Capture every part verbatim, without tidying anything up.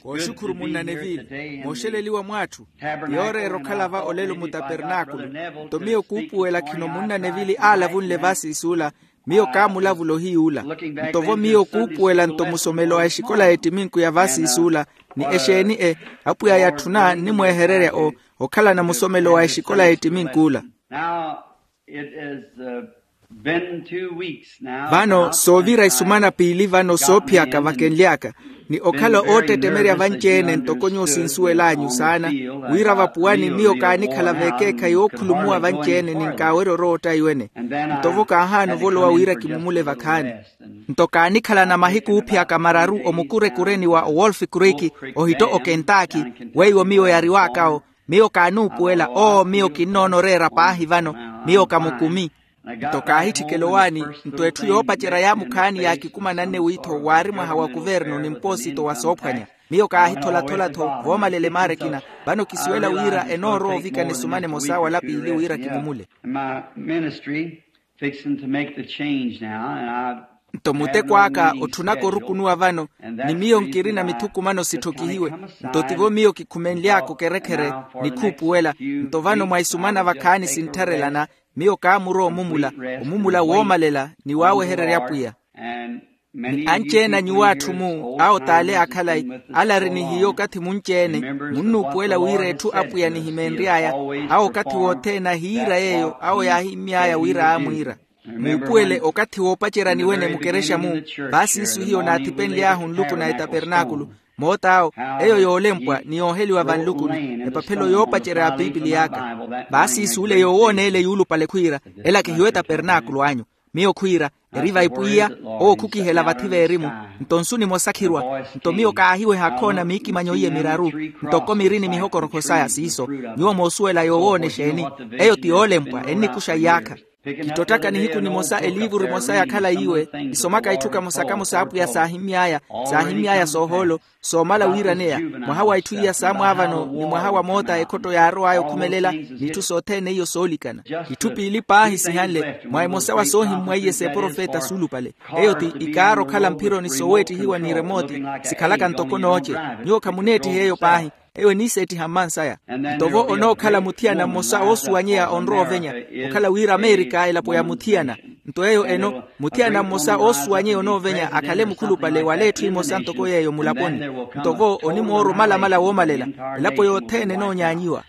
Kooxukhuru munna neville. Mooxeleliwa mw'atthu. Yooreera okhala va olelo mutapernakulu. Nto miyo kuupuwela khino munna neville aalavunle vaasiisuula. Miyo kaamulavula ohiyuula. Nto vo miyo kuupuwela nto musomelo a exikola y'ettiminku ya vaasiisuula. Ni exeeni e apwiya yatthuna nnimwehererya o okhalana musomelo wa exikola y'ettiminkuula. Vano soovira isumana piili vano soophiyaka vakenly'aka, ni okhala oottettemerya vanci-ene ntoko nyuwo sinsuwel'anyu saana, wira vapuwani miyo kaanikhala veekeekhayi ookhulumuwa vanci-ene ni nkaawerya orootta iwene. Nto vo kaahaana ovolowa wira kimumule vakhaani. Nto kaanikhalana mahiku oophiyaka mararu omukurekureni wa owolf creek, ohitto okentaakhi, weiwo miyo yariwaak'awo. Miyo kaanuupuwela oo miyo kinnoona oreera paahi vano. Miyo kamukumi. Nto kaahitthikela owaani. Nto etthu yoopacerya yaamukhaani yaakikumananne wiitho waari mwaha wa kuvernu ni mpoosito wa soophwanya. Miyo kaahitholathola-tho voomalela emaara ekina. Vano kisuwela wira enoorowa ovikana esumana emosa wala piili wira kimumule. Nto muteko aka otthunaka orukunuwa vano, ni miyo nkirina mithukumano sitthokihiwe. Nto tivo miyo kikhumenly'aka okerekhere, ni khuupuwela. Nto vano mwa isumana vakhaani sinttharelana, miyo kaamurowa omumula, omumula woomalela ni waawehererya apwiya. Ni anci-ene a nyuwo atthu-mu awo t'ale akhalayi, ale ari ni hiyo okathi munci-ene. Munnuupuwela wira etthu apwiya anihimeenry'aya. Awo okathi wothene ahiira yeeyo awo yaahimmy'aya wira aamwiira. Muupuwele okathi woopacerya niwene mukerexa-mu. Vaasiisu hiyo naathipenly'ahu nluku na etapernakulu. Moot'awo, eyo yoolempwa ni yooheliwa vanlukuni. Epaphelo yoopacerya ya pipiliy'aka. Vaasiisu ole yoowooneele yuulupale khwiira, ela kihiyo etapernakulu anyu. Miyo khwiira, eri vaipwiya, owo khukihela vathi veerimu. Nto nsu nimosa khirwa. Nto miyo kaahiweha akhoona miikimanyo iye miraru, ntoko miri ni mihokorokho saya siiso. Nyuwo moosuwela yoowoona exeeni? Eyo ti yoolempwa ennikuxa iyaakha. Kittottaka nihiku nimosa eliivuru emosa yakhala yiiwe, isomaka itthu kamosa-kamosa apwiya saahimmy'aya, saahimmy'aya soohoolo, soomala wiiraneya. Mwaha wa itthu iya saamwaavano ni mwaha wa moota ekhotto yaarow'aya okhumelela, n'itthu sothene iyo soolikana. Itthu piili paahi sihanle mwa emosa wa soohimmwa iye s'eprofeta suulupale. Eyo ti ikaara okhala mphironi soweettihiwa ni remooti, sikhalaka ntoko nooce. Nyuwo khamuneettiha eyo paahi. Eyo eniiseettiha mmansaya. Nto vo onookhala muthiyana mmosa oosuwanyeya onrowa ovenya, okhala wira amerika elapo ya muthiyana. Nto eyo eno, muthiyana mmosa oosuwanyeya onoovenya akhale mukhulupale wala etthu emosa ntoko yeeyo mulaponi. Nto vo onimoora omalamala woomalela, elapo yothene enoonyaanyiwa.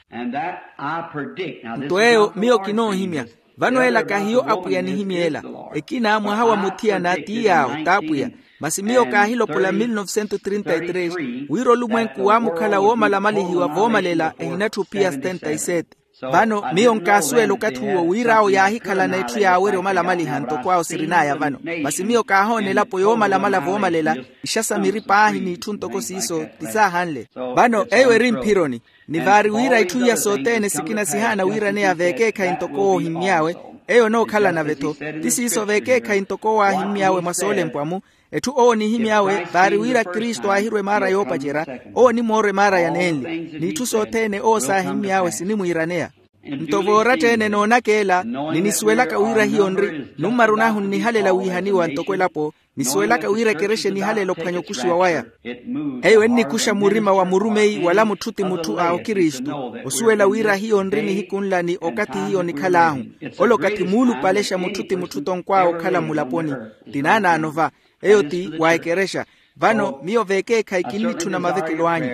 Nto eyo miyo kinoohimya. Vano ela kahiyo apwiya anihimy'ela. Ekina mwaha wa muthiyana ti yaawo t'apwiya. Masi miyo kaahilopola mil novecentos trinta y tres, wira olumwenku waamukhala woomalamalihiwa voomalela ehinatthu ophiya setenta y sete. Vano miyo nkaasuwela okathi uwo wira awo yaahikhalana etthu yaawerya omalamaliha ntoko awo sirin'aya vano. Masi miyo kaahoona elapo yoomalamala voomalela, ixa sa miri paahi n'itthu ntoko siiso ti saahanle. Vano eyo eri mphironi. Ni vaari wira itthu iya sothene sikina sihaana wiiraneya veekeekhayi ntoko owo ohimmy'awe. Eyo enookhala nave-tho. Ti siiso veekeekhayi ntoko owo aahimmy'awe mwa soolempwa-mu. Etthu owo onihimy'awe vaari wira kristu aahirwa emaara yoopacerya. Owo onimoora emaara ya nenli, n'itthu sothene owo saahimmy'awe sinimwiiraneya. Nto vooratteene noonaka ela, ni nisuwelaka wira hiyo nri, nummaru nahu nnihalela wiihaniwa ntoko elapo. Nisuwelaka wira ekerexa enihalela ophwanya okuxiwa waya. Eyo ennikuxa murima wa murumeyi wala mutthu ti mutthu a okristu. Osuwela wira hiyo nri nihiku nla ni okathi hiyo nikhal'ahu. Ole okathi muulupalexa mutthu ti mutthu tonkw'awe okhala mmulaponi. Ti naanaano va. Eyo ti wa ekerexa. Vano miyo veekeekhayi kinnitthuna mavekelo anyu.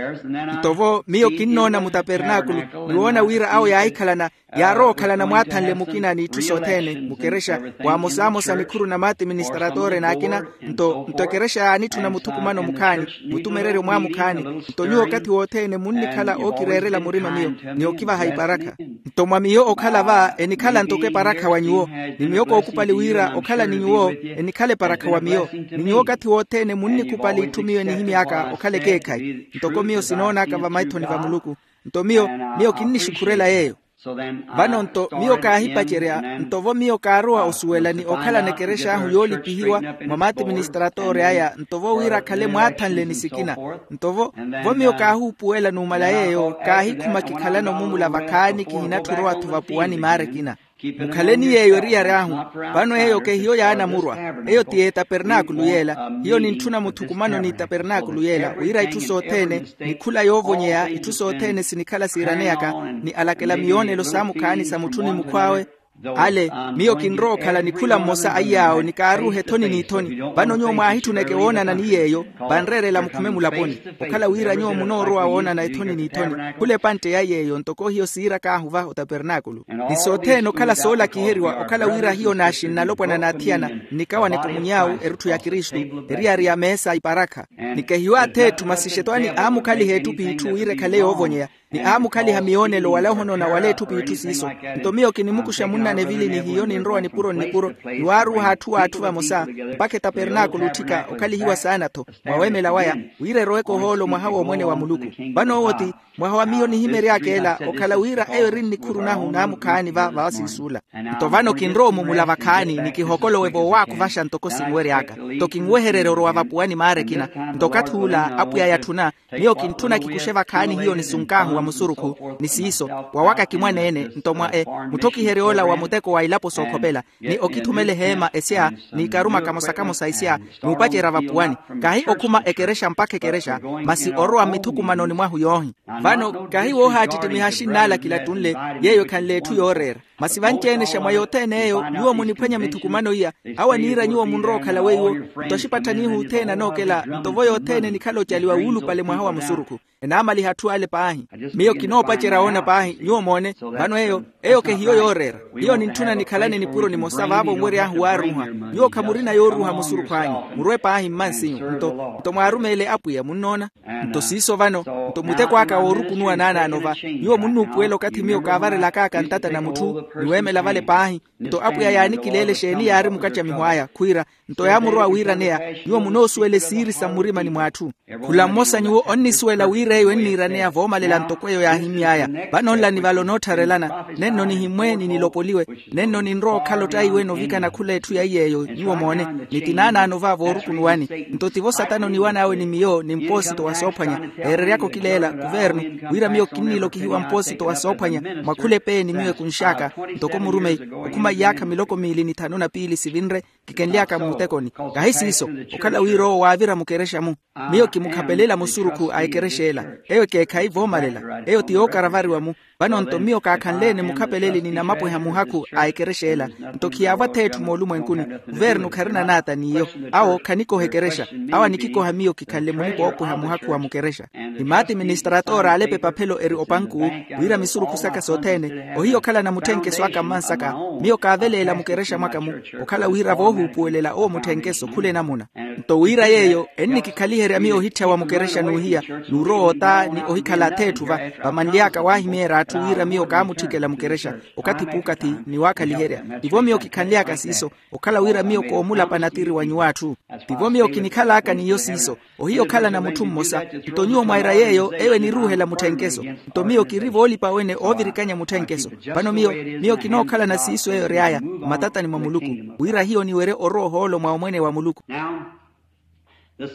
Nto vo miyo kinnoona mutapernakulu, ni woona wira awo yaahikhalana, yaarowa okhalana mwaathanle mukina n'itthu sothene mukerexa. Waamosamosa nikhuru na maatiministratore n'akina. Nto nto ekerexa yaanitthuna muthukumano mukhaani, mutumereryo mwamukhaani. Nto nyuwo okathi wothene munnikhala ookireerela murima miyo, ni okivaha iparakha. Nto mwa miyo okhala va enikhala ntoko eparakha wa nyuwo. Ni miyo kookupali wira okhala ni nyuwo enikhala eparakha wa miyo. Ni nyuwo okathi wothene munnikupali itthu miyo enihimy'aka okhala ekeekhayi, ntoko miyo sinoon'aka vamaithoni va muluku. Nto miyo miyo kinnixukhurela yeeyo. Vano nto miyo kaahipacerya nto vo miyo kaarowa osuwela ni okhalana ekerexa ahu yoolipihiwa mwa maatiministratore aya nto vo wira akhale mwaathanle ni sikina. Nto vo vo miyo kaahuupuwela numala yeeyo kaahikhuma kikhalana omumula vakhaani kihinatthi orowa-tho vapuwani maara ekina. Mukhaleni yeeyo eriyari ahu. Vano eyo kehiyo yaanamurwa. Eyo ti etapernaakulu yeela. Hiyo nintthuna muthukumano n'itapernaakulu yeela wira itthu sothene, ni khula yoovonyeya itthu sothene sinikhala siiraneyaka, ni alakela miyoonelo saamukhaani sa mutthu ni mukhw'awe. Ale, miyo kinrowa okhala ni khula mmosa a iyaawo ni kaaruuha ethoni n'ithoni. Vano nyuwo mwaahitthuneke woonana ni yeeyo, vanreerela mukhume mulaponi. Okhala wira nyuwo munoorowa woonana ethoni n'ithoni, khula epantte ya yeeyo ntoko hiyo siirak'ahu va otapernaakulu. Ni sothene okhala soolakiheriwa okhala wira hiyo naaxi nnalopwana n'athiyana, nnikawaneke omuny'awu erutthu ya kristu, eriyari ya meesa iparakha. Ni kehiyo ath'etthu masi xetwani aamukhaliha ettuphi itthu wira ekhale yoovonyeya, ni aamukhaliha miyoonelo wala ohonona wala etthu p'itthu siiso. Nto miyo kinimukuxa munnanevili ni hiyo ninrowa nipuro nnipuro, ni waaruuha atthu w'atthu vamosa, mpakha etapernaakulu otthika okhalihiwa saana-tho, mwaweemela waya, wira eroweke ohoolo mwaha w'omwene wa muluku. Vano owo ti mwaha wa miyo nihimery'aka ela okhala wira eyo eri nnikhuru nahu naamukhaani va vaasiisuula. Nto vano kinrowa omumula vakhaani ni kihokolowe voowaakuvaxa ntoko sinwery'aka. Nto kinwehererye orowa vapuwani maara ekina. Nto okathi ula apwiya yatthuna, miyo kintthuna kikuxe vakhaani hiyo nisunk'ahu wa musurukhu, ni siiso, wawaka kimwaneene nto mwa e, mutthokihery'ola wa muteko wa ilapo sookhopela, ni okithumela eheema esya, n'ikaruma kamosa-kamosa isya, n'upacerya vapuwani. Kahi okhuma ekerexa mpakha ekerexa, masi orowa mmithukumanoni mwahu yoohi. Vano kahi woohaattittimiha axinn'ala kilattunle, yeeyo ekhanle etthu yooreera. Masi vanci-ene xa mwa yothene eyo nyuwo muniphwanya mithukumano iya, awo aniira nyuwo munrowa okhala weiwo. Nto axipatthanihu othene anookela nto vo yothene enikhala ocaliwa wuulupale mwaha wa musurukhu, enaamaliha atthu ale paahi. Miyo kinoopacerya woona paahi nyuwo moone. Vano eyo, eyo kehiyo yooreera. Hiyo nintthuna nikhalane nipuro nimosa vaavo nwery'ahu waaruuha. Nyuwo khamurina yooruuha musurukhu anyu, murwe paahi mmansinyu nto, nto mwaarumeele apwiya munnoona. Nto siiso vano, nto muteko aka woorukunuwa naanaano va. Nyuwo munnuupuwela okathi miyo kaavarelak'aka ntata na mutthu, ni weemela vale paahi. Nto apwiya yaanikileele exeeni yaari mukacamiho aya khwiira, nto yaamurowa wiiraneya. Nyuwo munoosuwela esiiri sa mmurimani mw'atthu. Khula mmosa nyuwo onnisuwela wira eyo enniiraneya voomalela ntoko eyo yaahimy'aya. Vano nla ni vale onoottharelana, nenno nihimmwe ni nilopoliwe, nenno ninrowa okhala ottaiwe novikana khula etthu ya iy'eyo nyuwo moone. Ni ti naanaano va voorukunuwani. Nto tivo satana oniwan'awe ni miyo ni mpoosito wa soophwanya, eereryaka okileela kuvernu, wira miyo kinnilokihiwa mpoosito wa soophwanya mwa khula epeeni miyo ekunx'aka, ntoko murumeyi, okhuma iyaakha miloko miili ni thanu na piili sivinre, kikenly'aka mmutekoni. Kahi siiso, okhala wira owo waavira mukerexa-mu. Miyo kimukhapelela musurukhu a ekerexa ela. Eyo ekeekhayi voomalela, eyo ti yookaravariwa-mu. Vano nto miyo kaakhanle-ene mukhapeleli ni namapweha muhakhu a ekerexa ela. Nto khiyaavwa ath'etthu moolumwenkuni, kuvernu kharina naata n'iyo. Awo khanikoha ekerexa. Awo anikikoha miyo kikhanle munipoopweha muhakhu wa mukerexa. Ni maatiministratora aalepa epaphelo eri opankuu, wira misurukhu saka sothene, ohiya okhalana mutthenkeso aka mmansaka. Miyo kaaveleela mukerexa mwaka-mu, okhala wira voohuupuwelela owo mutthenkeso khula enamuna. Nto wira yeeyo ennikikhaliherya miyo ohitthawa mukerexa n'uhiya, n'urowa ota ni ohikhala ath'etthu va. Vamanly'aka waahimyeerya atthu wira miyo kaamutthikela mukerexa, okathi p'ukathi, ni waakhaliherya. Tivo miyo kikhanly'aka siiso, okhala wira miyo koomulapa natiri wa nyuw'atthu. Tivo miyo kinikhal'aka n'iyo siiso. Ohiya okhalana mutthu mmosa. Nto nyuwo mwaira yeeyo eyo eniruuhela mutthenkeso. Nto miyo kiri voolipa wene oovirikanya mutthenkeso. Vano miyo, miyo kinookhalana siiso eyo ery'aya mmatatani mwa muluku, wira hiyo niwerye orowa ohoolo mwa omwene wa muluku.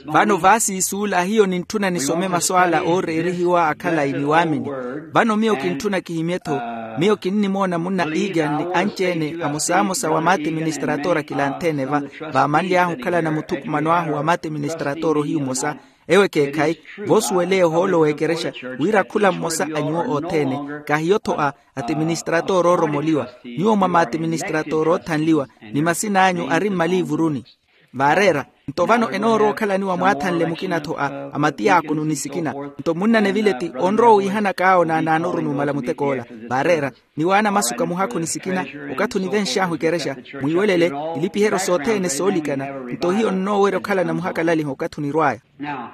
Vano vaasiisuula hiyo nintthuna nisome masu ala ooreerihiwa akhalayi ni waamini. Vano miyo kintthuna kihimye-tho. Miyo kinnimoona munna egan ni anci-ene amosamosa wa maatiministratora kilanthene va, vaamanly'ahu okhalana muthukumano ahu wa maatiministratora ohiyu mmosa. Ewo ekeekhayi, voosuweleya ohoolo w'ekerexa, wira khula mmosa a nyuwo othene, kahiyo-tho a atiministratora ooromoliwa. Nyuwo mwa maatiministratora oothanliwa, ni masin'anyu ari mmaliivuruni. Vaareera. Nto vano enoorowa okhalaniwa mwaathanle mukina-tho a, a matiyaakonu ni sikina. Nto munnanevile ti onrowa wiihanak'awo naanaanoru numala mutek'ola. Vaareera. Ni waana masu kamuhakhu ni sikina, okathi onivenx'ahu ekerexa, mwiiwelele, ilipiheryo sothene soolikana. Nto hiyo nnoowerya okhalana muhakalaliho okathi onirw'aya. Now,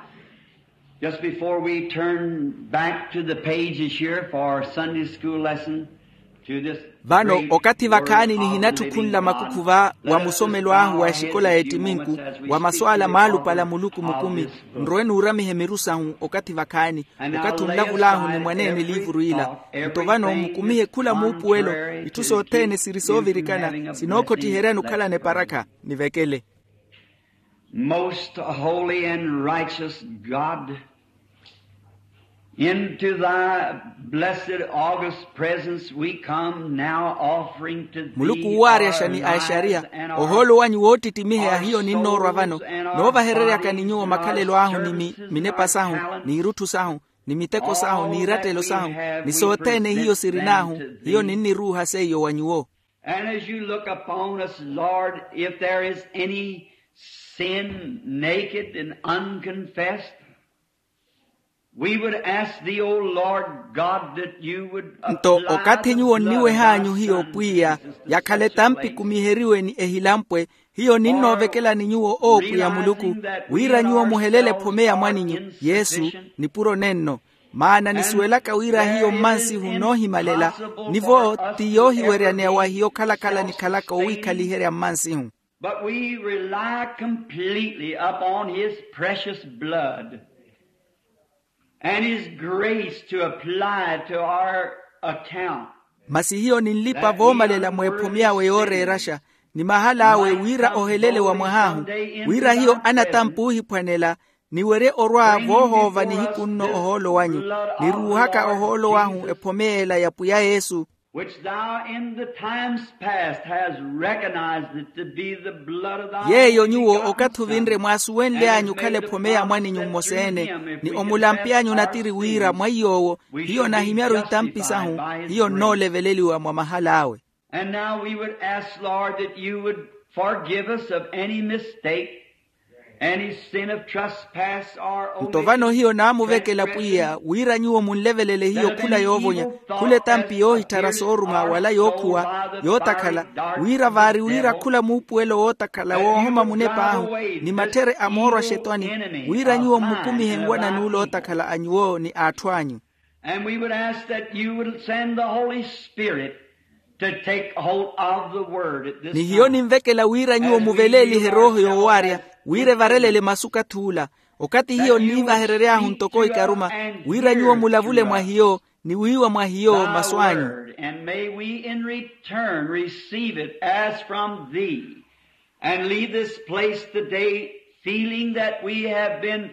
just before we turn back to the pages here for our Sunday school lesson, to this vano great okathi vakhaani nihinatthukhunla makukhu va wa musomelo ahu wa exikola y'ettiminku, wa masu ala maalupala muluku mukumi, nrowe nuuramihe miru sahu okathi vakhaani, okathi onlavul'ahu ni mwaneene eliivuru ila. Nto vano mukumihe khula muupuwelo, itthu sothene siri soovirikana sinookhottiheryani okhalana eparakha. Nivekele. Most holy and righteous God, Into thy blessed august presence we come now, offering to thee muluku wuwaaryaxa ni a exariya, ohoolo wanyu woottittimiheya hiyo ninnoorwa vano, noovahereryaka ni nyuwo makhalelo ahu ni mi minepa sahu, n'irutthu sahu, ni miteko sahu n'iirattelo sahu, ni sothene hiyo sirin'ahu, hiyo ninniruuha seiyo wa nyuwo. And as you look upon us, Lord, if there is any sin naked and unconfessed, we would ask thee, O Lord God, that you would nto okathi nyuwo nniweh'anyu hiyo pwiya, yakhale tampi kumiheriwe ni ehilampwe, hiyo ninnoovekelani nyuwo oopwiya muluku, wira nyuwo muhelele ephome ya mwaninyu yesu, nipuro nenno. Maana nisuwelaka wira hiyo mmansihu noohimalela, nivo ti yoohiweryaneya wa hiyo okhalakhala nikhalaka owiikhaliherya mmansihu. But we rely completely upon his precious blood and his grace to apply to our account. Masi hiyo ninlipa voomalela mweephome awe yooreeraxa, ni mahal'awe wira ohelele wa mwah'ahu, wira hiyo anatampa oohiphwanela, niwerye orwa voohoova nihiku nno ohoolo wanyu, niruuhaka ohoolo wahu ephome ela ya pwiya yesu. Which thou in the times past hast recognized it to be the blood of thy yeeyo nyuwo okathi ovinre mwaasuwenly'anyu okhala ephome ya mwaninyu mmosa-ene, ni omulampe'anyu onatiri wira mwa iy'owo hiyo nahimyaru itampi sahu, hiyo nnooleveleliwa mwa mahal'awe. And now we would ask, Lord, that you would forgive us of any mistake, any sin of trespass or omission. Nto vano hiyo naamuvekela pwiya wira nyuwo munlevelele hiyo khula yoovonya, khula etampi yoohitthara sooruma wala yookhuwa, yootakhala, wira vaari wira khula muupuwelo wootakhala woohoma munep'ahu, ni mathere a mooro a xetwani, wira nyuwo mmukumihe nwana n'ule ootakhala a nyuwo ni aatthu anyu. And we would ask that you would send the Holy Spirit to take hold of the word at this time. Ni hiyo ninvekela wira nyuwo muveleelihe erooho yoowaarya, wira evarelele masu okath'ula, okathi hiyo nniivaherery'ahu ntoko ikaruma, wira nyuwo mulavule mwa hiyo, ni wiiwa mwa hiyo masu anyu. And may we in return receive it as from thee, and leave this place today feeling that we have been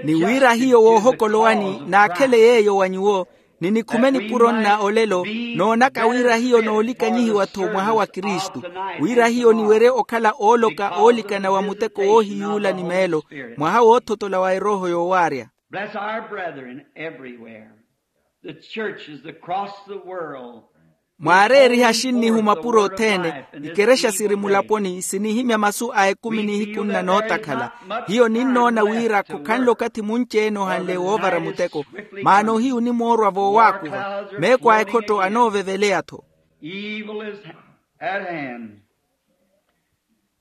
ni wira hiyo woohokolo wani naakhele yeeyo wa nyuwo, ni nikhume nipuro nna olelo, noonaka wira hiyo noolikanyihiwa-tho mwaha wa kristu, wira hiyo niwerye okhala ooloka oolikana wa muteko woohiyuula ni meelo, mwaha woothotola wa erooho yoowaarya. Bless our brethren everywhere, the churches across the world. Mwaareeriha axinnihu mapuro othene, ikerexa siri mulaponi sinihimya masu a ekumi nihiku nna nootakhala. Hiyo ninnoona wira khokhanle okathi munci-ene ohanle woovara muteko, maana ohiyu onimoorwa voowaakuva, meeko a ekhotto anooveveleya-tho. Evil is at hand.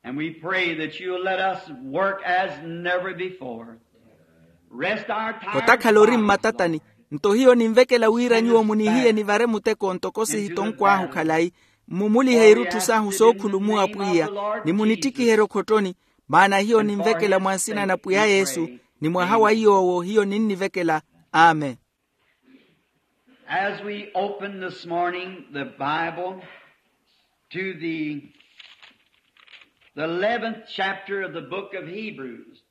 And we pray that you'll let us work as never before. Rest our tired otakhala ori bodies, mmatatani. Lord. Nto hiyo ninvekela wira nyuwo munihiye nivare muteko ntoko sihitonkwahu khalayi, mmumulihe irutthu sahu sookhulumuwa pwiya, ni munittikiherye okhottoni, maana hiyo ninvekela mwa nsina na pwiya yesu, ni mwaha wa iy'owo hiyo ninnivekela. Amen. As we open this morning the Bible to the, the eleventh chapter of the book of Hebrews,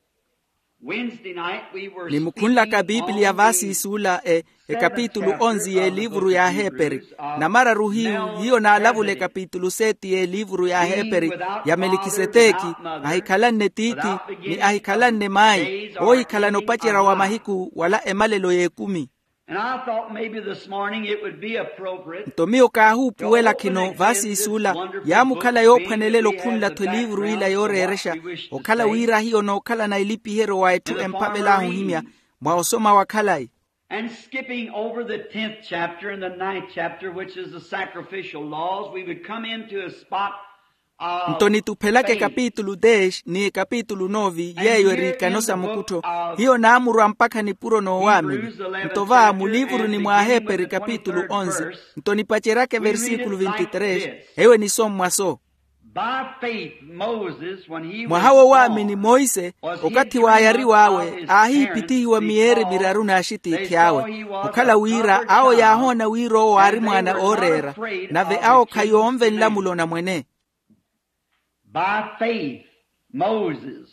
Wednesday night we were ni mukhunlaka speaking biipiliya on vaasi the isuula e, ekapitulu onzi y'elivuru y'aheperi, namararu hiyu hiyo naalavula ekapitulu seti y'elivuru y'aheperi, ya melikiseteki, ahikhalanne tiithi, ni ahikhalanne mayi, oohikhalana opacerya wa mahiku wala emalelo y'ekumi. And I thought maybe this morning it would be appropriate. Nto miyo kaahuupuwela khino vaasi isuula, yaamukhala yoophwanelela okhunla-tho eliivuru ila yooreerexa, okhala wira hiyo nookhalana elipiheryo wa etthu empavel'ahu ohimya mwa osoma wa khalayi. And skipping over the tenth chapter and the ninth chapter, which is the sacrificial laws, we would come into a spot. Nto nituphelaka ekapitulu dez ni ekapitulu nove yeeyo eri ikano sa mukuttho, hiyo naamurwa mpakha nipuro noowaamini. Nto va muliivuruni mw'aheperi ekapitulu onzi, nto nipaceryaka eversikulu vinti tres, eyo enisommwa so. Mwaha woowaamini monse, okathi waayariw'awe aahihipithihiwa miyeeri miraru n'axitiithi awe, okhala wira awo yaahoona wira owo aari mwaana ooreera, nave awo khayoonve nlamulo na mwene. By faith, Moses,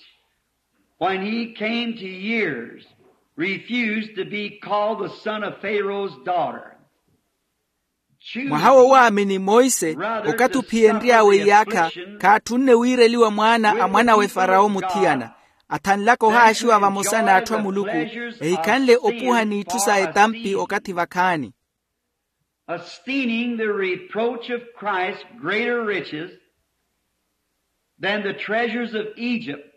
when he came to years, Refused to be called the son of Pharaoh's daughter. Mwaha wo waamini monse, okathi ophiyenry'awe iyaakha, khaatthunne wiireliwa mwaana a mwan'awe farawo muthiyana. Athanlaka ohaaxiwa vamosa n'atthu a muluku, ehikhanle opuha n'itthu sa etampi okathi vakhaani. Esteeming the reproach of Christ greater riches than the treasures of Egypt.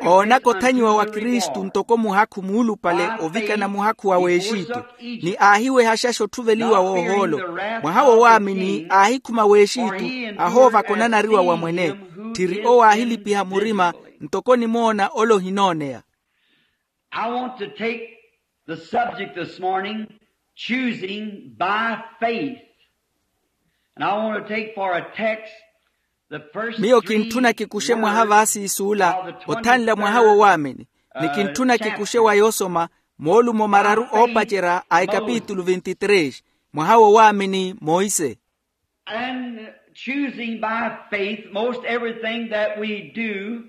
Oonaka othanyiwa wa kristu ntoko muhakhu muulupale ovikana muhakhu wa w'exitu, ni aahiwehaxaxa otthuveliwa w'ohoolo. Mwaha wo waamini aahikhuma w'exitu, ahoovaka onanariwa wa mwene. Tthiri owo aahilipiha murima, ntoko onimoona ole ohinooneya. I want to take the subject this morning, choosing by faith. And I want to take for a text the first three words. Miyo kintthuna kikuxe mwaha vaasiisuula, othanla mwaha wo waamini. Ni kintthuna kikuxe wa yoosoma moolumo mararu oopacerya a ekapitulu vinti tres, mwaha wo waamini monse. And choosing by faith, most everything that we do,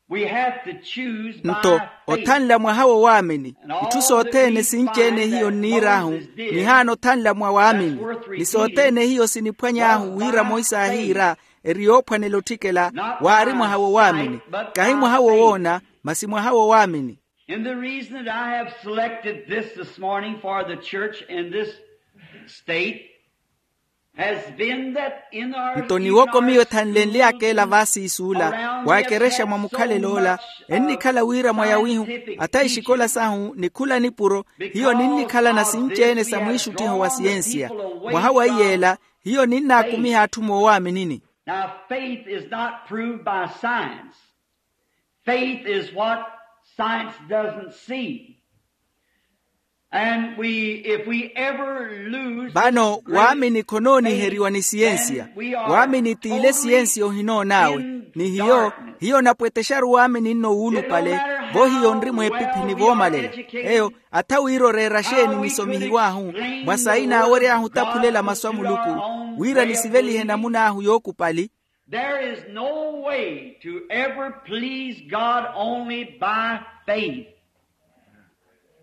we have to choose by faith. Nto othanla mwaha wo waamini, itthu sothene sinci-ene hiyo nniir'ahu, nihaana othanla mwa waamini. Ni sothene hiyo siniphwany'ahu wira monse aahiira, eri yoophwanela otthikela, waari mwaha wo waamini. Kahi mwaha wo woona, masi mwaha wo waamini. And the reason that I have selected this this morning for the church in this state has been that in our nto niwoko miyo ethanlenly'aka ela vaasiisuula, waakerexa mwa mukhalelo ola, ennikhala wira mwa yawihu, ata exikola sahu ni khula nipuro, hiyo ninnikhalana sinci-ene sa mwiixuttiho wa siyensiya. Mwaha wa iy'ela, hiyo ninnaakumiha atthu moowaaminini. Now, faith is not proved by science. Faith is what science doesn't see. And we, if we ever lose this great faith, then we are in darkness. Vano waamini khonooniheryiwa ni siyensiya. Waamini t'ile siyensiya ohinoon'awe. Ni hiyo, hiyo onapwetexaru waamini nno wuulupale, vo hiyo onri mweepiphi ni voomalela. Eyo, atha wira oreera xeeni nisomihiw'ahu, mwa sayi naawery'ahu otaphulela masu a muluku, wira nisivelihe namun'ahu yookupali. There is no way to ever please God only by faith.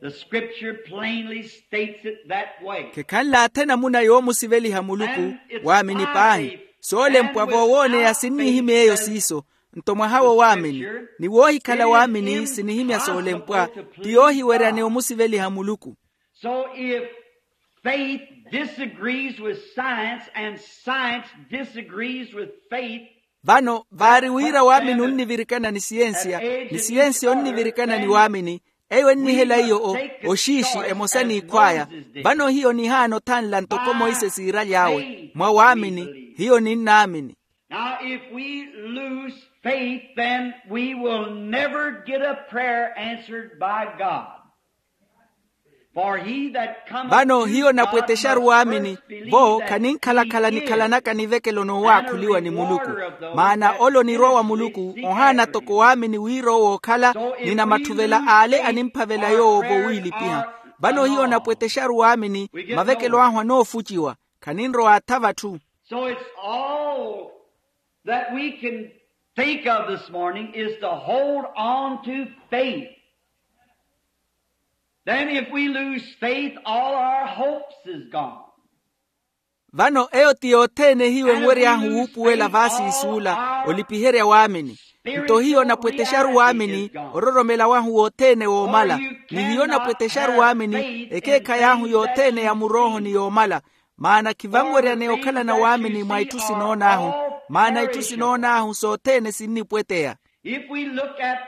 The scripture plainly states it that way. Khekhanle athe namuna yoomusiveliha muluku, waamini paahi. Soolempwa voowooneya sinnihimya eyo siiso. Nto mwaha wo waamini, ni woohikhala waamini sinihimya soolempwa, ti yoohiwerya ni omusiveliha muluku. So if faith disagrees with science and science disagrees with faith, vano vaari wira waamini onnivirikana ni siyensiya, ni siyensiya onnivirikana ni waamini, eyo ennihela iyo o oxiixi emosa n'ikhw'aya. Vano hiyo nihaana othanla ntoko monse siiraly'awe mwa waamini. Hiyo ninnaamini. Now, if we lose faith, then we will never get a prayer answered by God. For he that cometh to God must first believe that he is the Word of the Lord. Vano hiyo napwetexaru waamini, vo khaninkhalakhala nikhalanaka nivekelo noowaakhuliwa ni muluku. Maana ole onirwa wa muluku ohaana toko waamini wira owo okhala, ni namatthuvel'ale animphavela yoowo vowiilipiha. Vano hiyo napwetexaru waamini, mavekelo ahu anoofuciwa, khaninrowa atha vatthu. So it's all that we can think of this morning is to hold on to faith. Then if we lose faith, all our hopes is gone. Vano eyo ti yothene hiyo enwery'ahu wuupuwela vaasiisuula, olipiherya waamini. Nto hiyo napwetexaru waamini, ororomela wahu wothene woomala. Ni hiyo napwetexaru waamini, ekeekhayi ahu yothene ya murooho ni yoomala. Maana khivanweryaneya okhalana waamini mwa itthu sinoon'ahu. Maana itthu sinoon'ahu sothene sinnipweteya. If we look at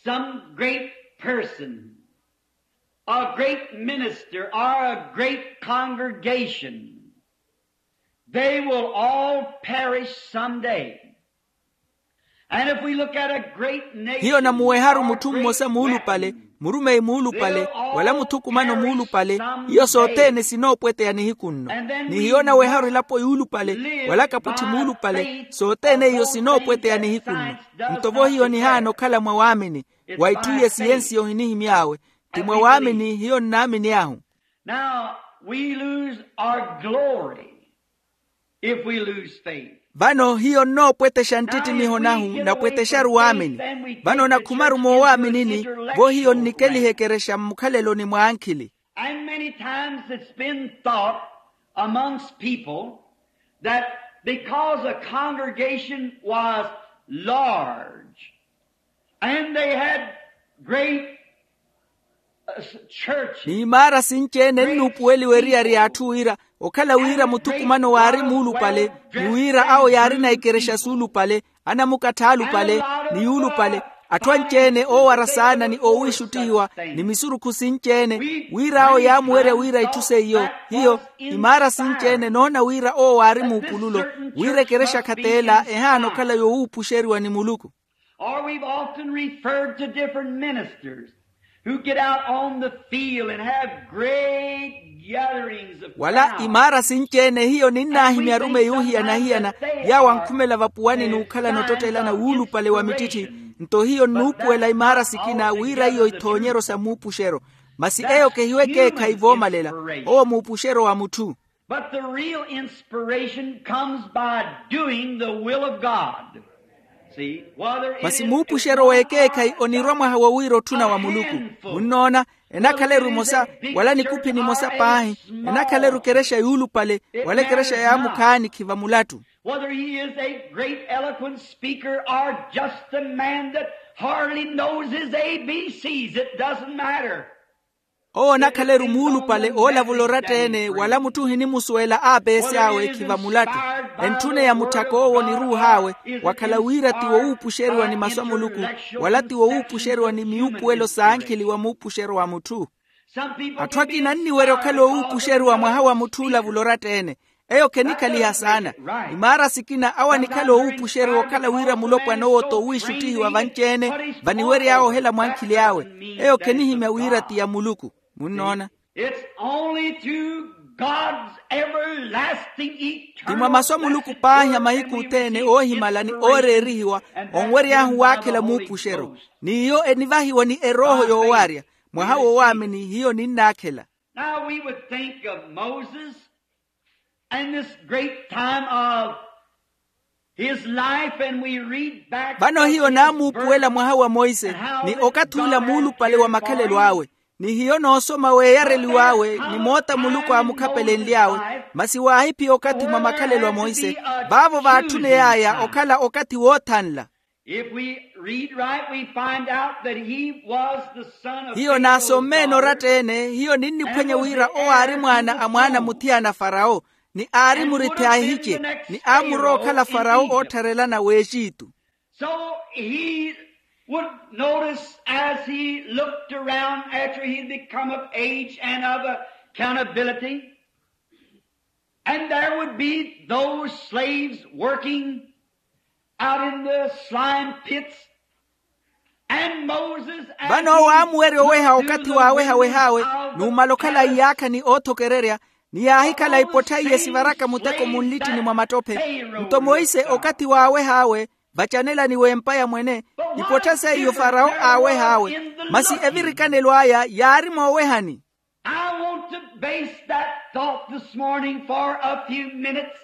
some great person, a great minister, or a great congregation, they will all perish someday. And if we look at a great nation, hiyo namuweharu mutthu mmosa muulupale, murumeyi muulupale, wala muthukumano muulupale, iyo sothene sinoopweteya nihiku nno. Ni hiyo naweharu elapo yuulupale, wala kaputthi muulupale, sothene iyo sinoopweteya nihiku nno. Nto vo hiyo nihaana okhala mwa waamini, wa itthu iye siyensiya ohinihimy'awe, ti mwa waamini hiyo nnaamin'ahu. Now, we lose our glory if we lose faith. Vano hiyo nnoopwetexa nttittiniho nahu, napwetexaru waamini. Vano nakhumaru moowaaminini, vo hiyo nnikeliha ekerexa mmukhaleloni mwa ankhili. And many times it's been thought amongst people that because a congregation was large and they had great, uh, church. Ni imaara sinci-ene nnuupuweliwa eriyari y'atthu wira okhala wira muthukumano waari muulupale, ni wira awo yaarina ikerexa suulupale, anamukatth'alupale, ni yuulupale, atthu anci-ene oowara saana ni oowiixuttihiwa, ni misurukhu sinci-ene, wir'awo yaamuwerya wira itthu seiyo. Hiyo imaara sinci-ene noona wira owo waari muupululo, wira ekerexa khateela ehaana okhala yowuupuxeriwa ni muluku. Or we've often referred to different ministers who get out on the field and have great gatherings of crowds. Wala imaara sinci-ene hiyo ninnaahimya arumeyi ohiyana-hiyana, yaawo ankhumela vapuwani n'ukhalana ottottelana wuulupale wa mittitthi. Nto hiyo nnuupuwela imaara sikina wira iyo ithoonyeryo sa muupuxeryo. Masi eyo kehiwe ekeekhayi voomalela, owo muupuxeryo wa mutthu. But the real inspiration comes by doing the will of God. Masi muupuxeryo w'ekeekhayi onirwa mwaha wo wira otthuna wa muluku. Munnoona, enakhala-ru emosa, wala nikuphi nimosa paahi, enakhala-ru ekerexa yuulupale, wala ekerexa yaamukhaani khiva mulattu. Whether he is a great eloquent speaker or just a man that hardly knows his A B Cs, it doesn't matter. Owo onakhala-ru muulupale oolavula oratta-ene wala mutthu ohinimusuwela aapeesi awe khiva mulattu. Entthune ya mutthaka owo ni ruuh'awe, wakhala wira ti wowuupuxeriwa ni masu a muluku, wala ti wowuupuxeriwa ni miupuwelo s'ankhili wa muupuxeryo wa mutthu. Atthu akina anniwerya okhala owuupuxeriwa mwaha wa mutthu oolavula oratta-ene. Eyo khenikhaliha saana. Imaara sikina awo anikhala owuupuxeriwa okhala wira mulopwana owo t'owiixuttihiwa vanci-ene, vaniwery'awe ohela mwankhili awe. Eyo khenihimya wira ti ya muluku. Munnoona? It's only through God's everlasting eternal ti mwa masu a muluku paahi a mahiku othene oohimala ni ooreerihiwa, onwery'ahu waakhela muupuxeryo. N'iyo enivahiwa ni erooho yoowarya. Mwaha woowaamini hiyo ninnaakhela. Now we would think of Moses and this great time of his life, and we read back. Vano hiyo naamuupuwela mwaha wa monse, ni okathi ula muulupale wa makhalelo awe, ni hiyo noosoma weeyareliw'awe ni moota muluku aamukhapelenly'awe. Masi waahiphiya okathi mwa makhalelo a monse, vaavo vaatthuney'aya okhala okathi woothanla. If we read right, we find out that he was the son of Pharaoh's daughter. Hiyo naasommene oratta-ene, hiyo ninniphwanya wira owo aari mwaana a mwaana muthiyana a farawo, ni aari murithi a ahice, ni aamurowa okhala farawo oottharelana w'exitu. So he would notice as he looked around after he'd become of age and of accountability, and there would be those slaves working out in the slime pits. And Moses, as vano owo aamuwerya oweha okathi waawehaweh'awe, n'umala okhala iyaakha ni oothokererya, ni yaahikhala ipottha iye sivaraka muteko munlittini mwa mattope. Nto monse okathi waaweh'awe vacanelani w'empa ya mwene, ipottha seiyo farawo aaweh'awe. Masi evirikanelo aya yaari moowehani. I want to base that thought this morning for a few minutes.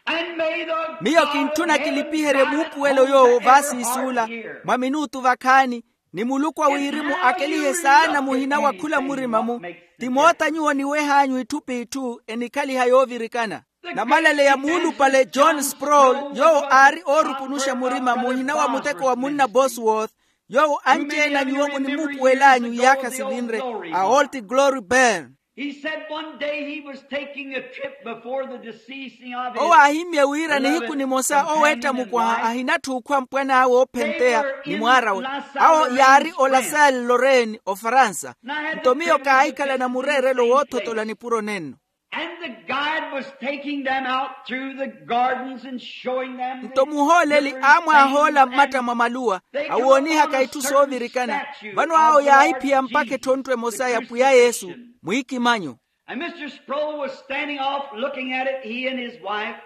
And may the miyo kintthuna kilipiherye muupuwelo yoowo vaasiisuula mwa minutu vakhaani, ni muluku a wirimu akelihe saana muhina wa khula murima-mu. Ti moota nyuwo niweh'anyu itthu p'itthu enikhaliha yoovirikana. Namalaleya muulupale john sproul, yoowo aari oorukunuxa murima muhina wa muteko wa munna bosworth, yoowo anci-ene a nyuwo munimuupuwel'anyu iyaakha sivinre, a old glory bern. He said one day he was taking a trip before the deceasing of his owo aahimmye wira nihiku nimosa oweetta mukwaha ahinatthi okhwa mpwan'awe oophenteya ni mwaar'awe. Awo yaari olasel lorraine ofaransa. Nto miyo kaahikhalana mureerelo woothotola nipuro nenno. And the guide was taking them out through the gardens and showing them. Nto muhooleli aamwaahoola mmatta mwa maluwa, awoonihaka itthu soovirikana. Vano awo yaahiphiya mpakha etthonttwe emosa ya pwiya yesu mwiikimanyo. And mr sproul was standing off looking at it, he and his wife,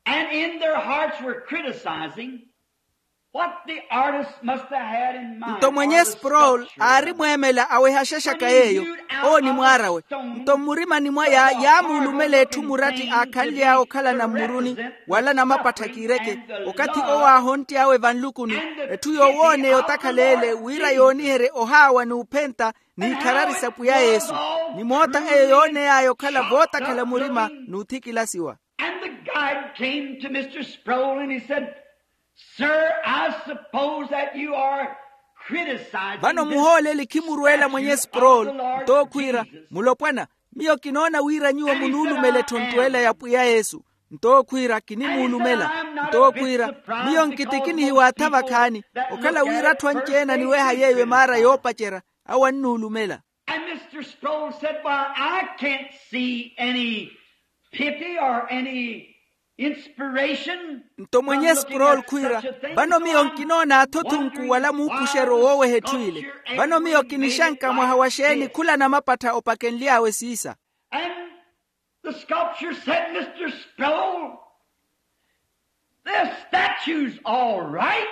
and in their hearts were criticizing. What the artist must have had in mind. Nto mwenye sproul aari mweemela aweha axaxaka yeeyo. Owo ni mwaar'awe. Nto mmurimani mwaya yaamuulumela etthu muratti aakhanly'awe okhalana mmuruni, wala namapattha kiireke, okathi owo aahontt'awe vanlukuni, etthu yoowooneya otakhala ele wira yooniherye ohaawa n'uphenta n'ikharari sa pwiya yesu, ni moota eyo yooney'aya okhala vootakhala murima n'uthikilasiwa. And the guide came to Mister Sproul and he said, "Sir, I suppose that you are criticizing this statue of the Lord Jesus." Vano muhooleli khimurweela mwenye sproul, nto khwiira, mulopwana, miyo kinoona wira nyuwo munuulumela etthonttw'ela ya pwiya yesu. Nto khwiira, kinimuulumela. Nto khwiira, miyo nkitikinihiwa atha vakhaani, okhala wira atthu anci-ene aniweha yeeyo emaara yoopacerya, awo annuulumela. And Mister Sproul said, "Why, I can't see any pity or any inspiration." Nto mwenye sproul khwiira, vano miyo nkinoona athothunku wala muupuxeryo wooweha etthu ile. Vano miyo kinixanka mwaha wa xeeni khula namapattha opakenly'awe siisa. And the sculptor said, "Mister Sproul, the statue's all right."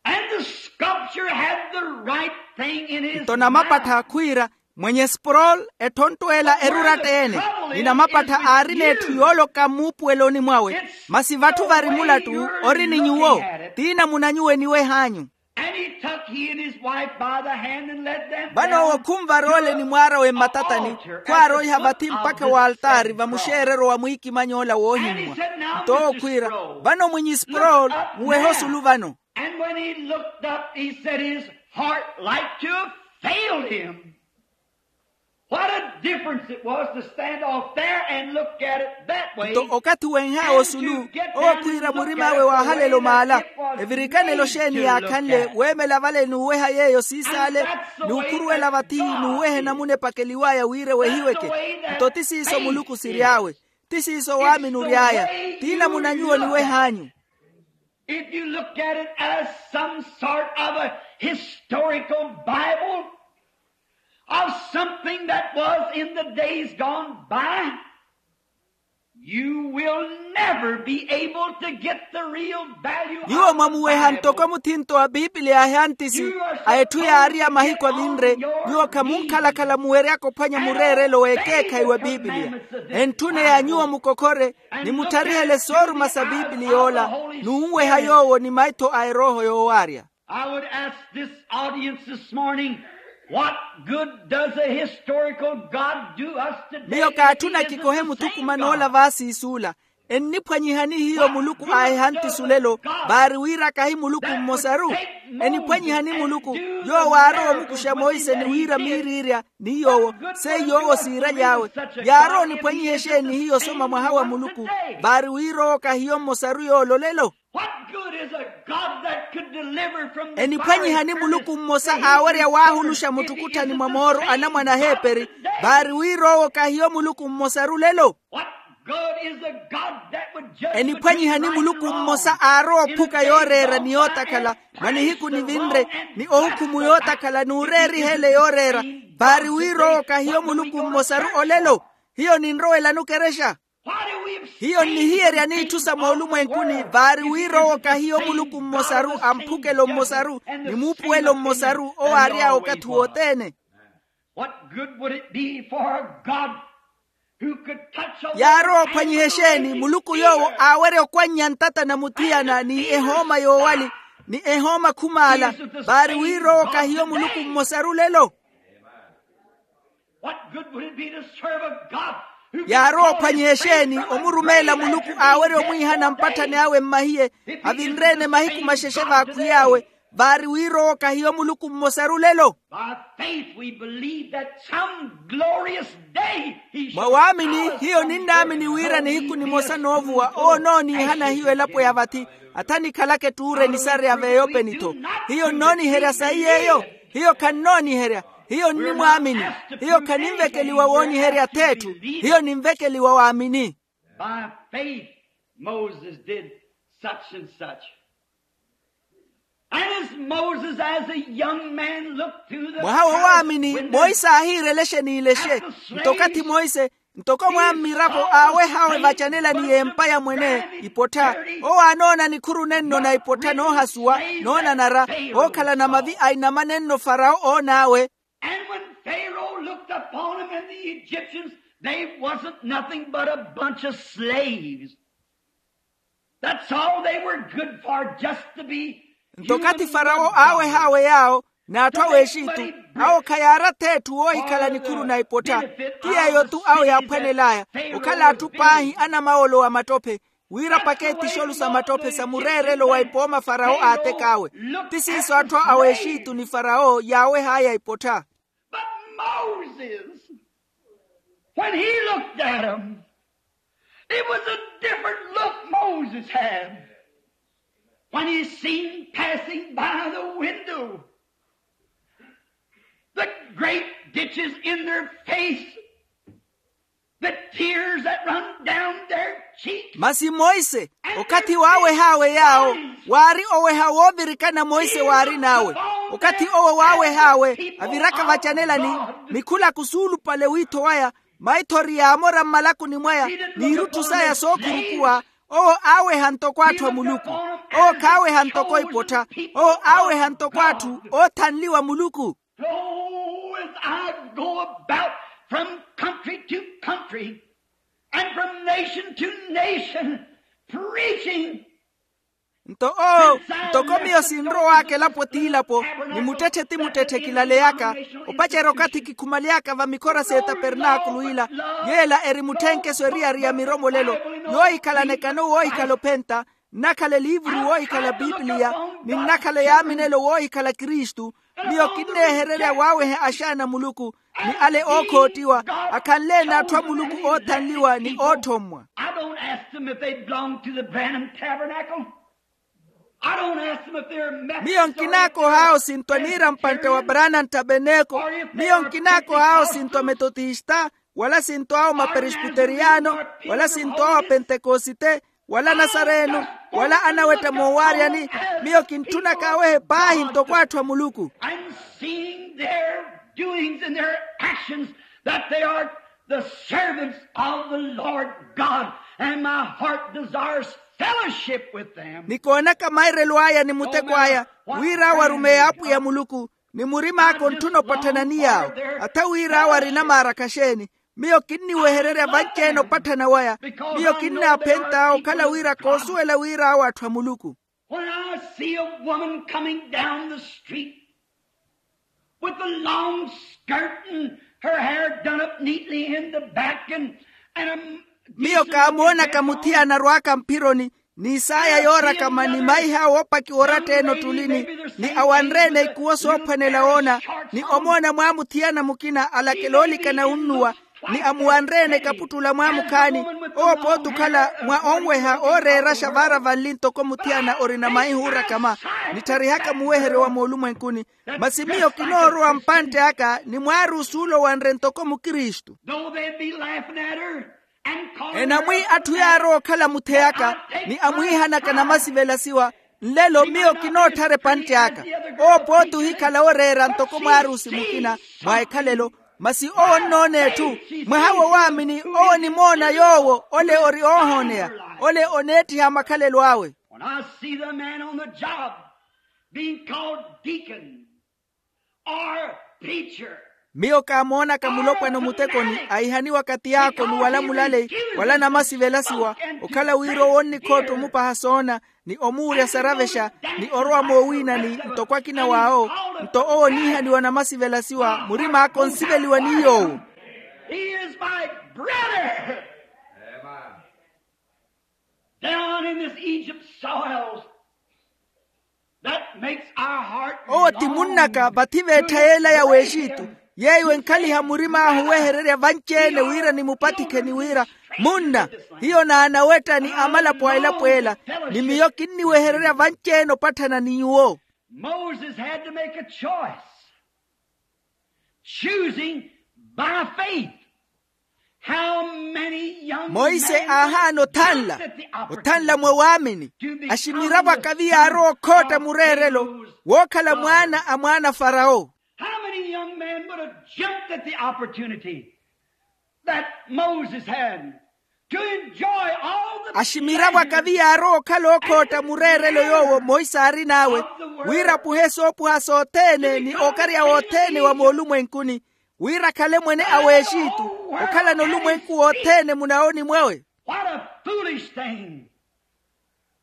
And the sculptor had the right thing in his mind. Nto namapattha khwiira, mwenye sproul, etthonttw'ela eruratta-ene, ni namapattha aarina etthu yooloka mmuupuweloni mwawe, masi vatthu vari mulattu ori ni nyuwo, ti namuna nyuwo eniweh'anyu. And he took he and his wife by the hand and led them down to a, to a altar at the foot of this statue. Vano owo khunvaroole ni mwaar'awe mmatatani, khwaaroiha vathi mpakha w'altaari vamuxeereryo wa mwiikimany'ola woohimmwa. Nto owo khwiira, vano mwinyi sproul, muwehe osulu vano. And when he looked up, he said his heart like to have failed him. What a difference it was to stand off there and look at it that way. Nto okathi wenh'awe osulu, owo khwiira murim'awe waahalela omaala. Evirikanelo xeeni yaakhanle weemela vale n'uweha yeeyo siisaale, n'ukhuruwela vathi n'uweha enamuna epakeliw'aya wira ewehiweke. Nto ti siiso muluku siry'awe. Ti siiso waamini ory'aya. Ti namuna nyuwo oniweh'anyu. If you look at it as some sort of a historical Bible of something that was in the days gone by, you will never be able to get the real value of the Bible. Nyuwo mwamuweha ntoko muthinto wa pipiliya a ehantisi a etthu yaari ya mahiku avinre. Nyuwo khamunkhalakhala muweryaka ophwanya mureerelo w'ekeekhayi wa pipiliya. Entthuneya nyuwo mukokhore ni mutharihele sooruma sa pipiliya ola, n'unweha yoowo ni maitho a erooho yoowaarya. I would ask this audience this morning, what good does a historical God do us today? Miyo kaatthuna kikohe muthukumana ola vaasiisuula. Enniphwanyihani hiyo muluku a ehantisi olelo? Vaari wira kahi muluku mmosaru. Eniphwanyihani muluku yoowo aarowa omukuxa monse ni wira miiriirya ni yoowo, seiyo owo siiraly'awe. Yaarowa oniphwanyiha exeeni hiyo soma mwaha wa muluku? Vaari wira owo kahiyo mmosaru yoolo lelo. What good is a God that could deliver from the fire? Eniphwanyihani muluku mmosa aawerya waahuluxa muttukutthani mwa mooro anamwane aheeperi? Vaari wira owo kahiyo muluku mmosaru lelo. What good is a God that would judge between right and wrong? Eniphwanyihani muluku mmosa aarowa ophuka yooreera ni yootakhala mwa nihiku nivinre, ni ohukhumu yootakhala n'ureeriha ele yooreera? Vaari wira owo kahiyo muluku mmosaru olelo. Hiyo ninrowelani okerexa. Hiyo nnihiyerya n'itthu sa moolumwenkuni. Vaari wira owo kahiyo muluku mmosaru, amphukelo mmosaru, ni muupuwelo mmosaru owo aary'awe okathi wothene. What good would it be for a God who could touch a woman? Yaarowa ophwanyiha exeeni muluku yoowo aawerya okwannya ntata na muthiyana ni ehooma yoowali, ni ehooma khumaala? Vaari wira owo kahiyo muluku mmosaru lelo. What good would it be to serve a God who could call his saints to his side? Yaarowa ophwanyiha exeeni omurumeela muluku aawerya omwiihana mpatthani awe mmahiye, avinre-ene mahiku maxexe v'akhwiy'awe? Vaari wira owo kahiyo muluku mmosaru lelo. By faith we believe that some glorious day he shall call us from the grave. Mwa waamini hiyo ninnaamini wira nihiku nimosa noovuwa owo onooniihana hiyo elapo ya vathi, athanikhalaka ettuura enisareya v'eyopeni-tho. Hiyo nnooniherya sayi yeeyo. Hiyo khannooniherya. Hiyo nnimwaamini. Hiyo khaninvekeliwa wooniherya ath'etthu. Hiyo ninvekeliwa waamini. By faith Moses did such and such. And as Moses, as a young man, looked through the palace window. Mwaha wowaamini monse aahiirele exeeni ilexe. Nto okathi monse Ntoko mwa mmiravo aaweh'awe vacanelani y'empa ya mwene ipottha, owo aanoona nikhuru nenno na ipottha noohasuwa, noonanara, ookhalana mavi a inama nenno farawo oon'awe. And when Pharaoh looked upon him and the Egyptians, they wasn't nothing but a bunch of slaves. That's all they were good for, just to be. Nto okathi farawo aaweh'awe yaawo, n'atthu a w'exitu, awo khayaarathi etthu woohikhala nikhuru na ipottha. Ti yeeyo-tu awo yaaphwanel'aya, okhala atthu paahi anamawolo wa mattope, wira paketi xolu sa mattope sa mureerelo wa ipooma farawo aatek'awe. Ti siiso atthu a w'exitu ni farawo yaaweh'aya ipottha. But Moses, when he looked at him, it was a different look Moses had. When he seen passing by the window the great ditches in their face, the tears that run down their cheeks. Masi monse, okathi waaweh'awe yaawo, waari oweha woovirikana monse waarin'awe. Okathi owo waaweh'awe aviraka vacanelani, mikhulaku suulupale wiitho waya, maithori yaamora mmalakuni mwaya, n'irutthu saya sookhurukuwa, owo aaweha ntoko atthu a muluku. Owo khaaweha ntoko ipottha. Owo aaweha ntoko atthu oothanliwa muluku. Oh, as I go about from country to country and from nation to nation, preaching. Nto owo, ntoko miyo sinrow'aka elapo ti elapo, ni muttetthe ti muttetthe kilaleyaka, opacerya okathi kikhumaleyaka va mikhora s'etapernaakulu ila, yeela eri mutthenkeso eriyari ya miromolelo, yoohikhala anekano woohikhala ophenta, nnakhala eliivuru woohikhala pipiliya, ni nnakhala yaaminelo woohikhala kristu. Miyo kinneehererya waaweha axaana a muluku, ni ale ookhottiwa, akhanle-ene atthu a muluku oothanliwa ni ootthommwa. I don't ask them if they belong to the Branham Tabernacle. I don't ask them if they're Methodist. Miyo nkinaakoh'awe osinto aniira mpantte wa Branham Tabernacle. Miyo nkinaakoh'awe osinto ametotista, wala sinto awo maperesbiteriyano, wala sinto awo apentekosite, wala nasareno, wala anawetta moowaaryani. Miyo kintthunaka awehe paahi ntoko atthu a muluku. And seeing their doings and their actions, that they are the servants of the Lord God, and my heart desires fellowship with them. Ni koonaka mairelo aya ni muteko aya, wira awo arumeya apwiya muluku, ni murim'aka ontthuna opatthana ni yaawo. Atha wira awo arinamaarakha xeeni? Miyo kinniwehererya vanci-ene opatthana waya. Miyo kinnaaphent'awe okhala wira koosuwela wira awo atthu a muluku. When I see a woman coming down the street with a long skirt and her hair done up neatly in the back and, and a Miyo kaamoonaka muthiyana arwaaka mphironi, ni isaaya yoorakama ni maiha woopakiwa oratta-ene ottulini, ni awanre-ene ikuwo soophwanela woona, ni omoona mwa muthiyana mukina alakela oolikana wunnuwa, ni amuwanre-ene ekaputtula mwaamukhaani, owo pooti okhala mwa onweha ooreeraxa vaara vanli ntoko muthiyana orina maiha oorakama, nittarihaka muweheryo wa moolumwenkuni. Masi miyo kinoorowa mpantte aka ni mwaarusi ole owanre ntoko mukristu. Though they be laughing at her and calling her a, enamwi atthu yaarowa okhala mutheyaka, ni amwiihanaka namasivelasiwa, nlelo miyo kinootthara epantte aka. Owo pooti ohikhala ooreera ntoko mwaarusi mukina mwa ekhalelo. Masi owo onnoona etthu, mwaha wo waamini owo onimoona yoowo ole ori oohooneya, ole oneettiha makhalelo awe. When I see the man on the job being called deacon or preacher, miyo kaamoonaka mulopwana omutekoni ahihaniwaka tiyaakoni wala mulaleyi, wala namasivelasiwa, okhala wira owo onnikhootta omupaha soona, ni omuurya saravexa, ni orowa moowiinani ntoko akina w'awo, nto owo oniihaniwa namasivelasiwa, murim'aka onsiveliwa ni yoowo. He is my brother. Down in this Egypt soils, that makes our heart. Owo ti munnaka vathi v'ettha yeela ya w'exitu, yeeyo enkhaliha murim'ahu owehererya vanci-ene wira nimupatikhe ni wira, munna, hiyo n'anawetta ni amalapo a elapo ela, ni miyo kinniwehererya vanci-ene opatthana ni nyuwo. Moses had to make a choice, choosing by faith. Monse aahaana othanla, othanla mwa waamini. Aximiravo akavi yaarowa okhootta mureerelo wookhala mwaana a mwaana a farawo. How many young men would have jumped at the opportunity? That Moses had to enjoy all the aximiravo akavi yaarowa okhala ookhootta mureerelo yoowo monse aarin'awe, wira apuhe soopuha sothene ni okarya wothene wa moolumwenkuni, wira akhale mwene a w'exitu, okhalana olumwenku wothene munawoni mwawe. What a foolish thing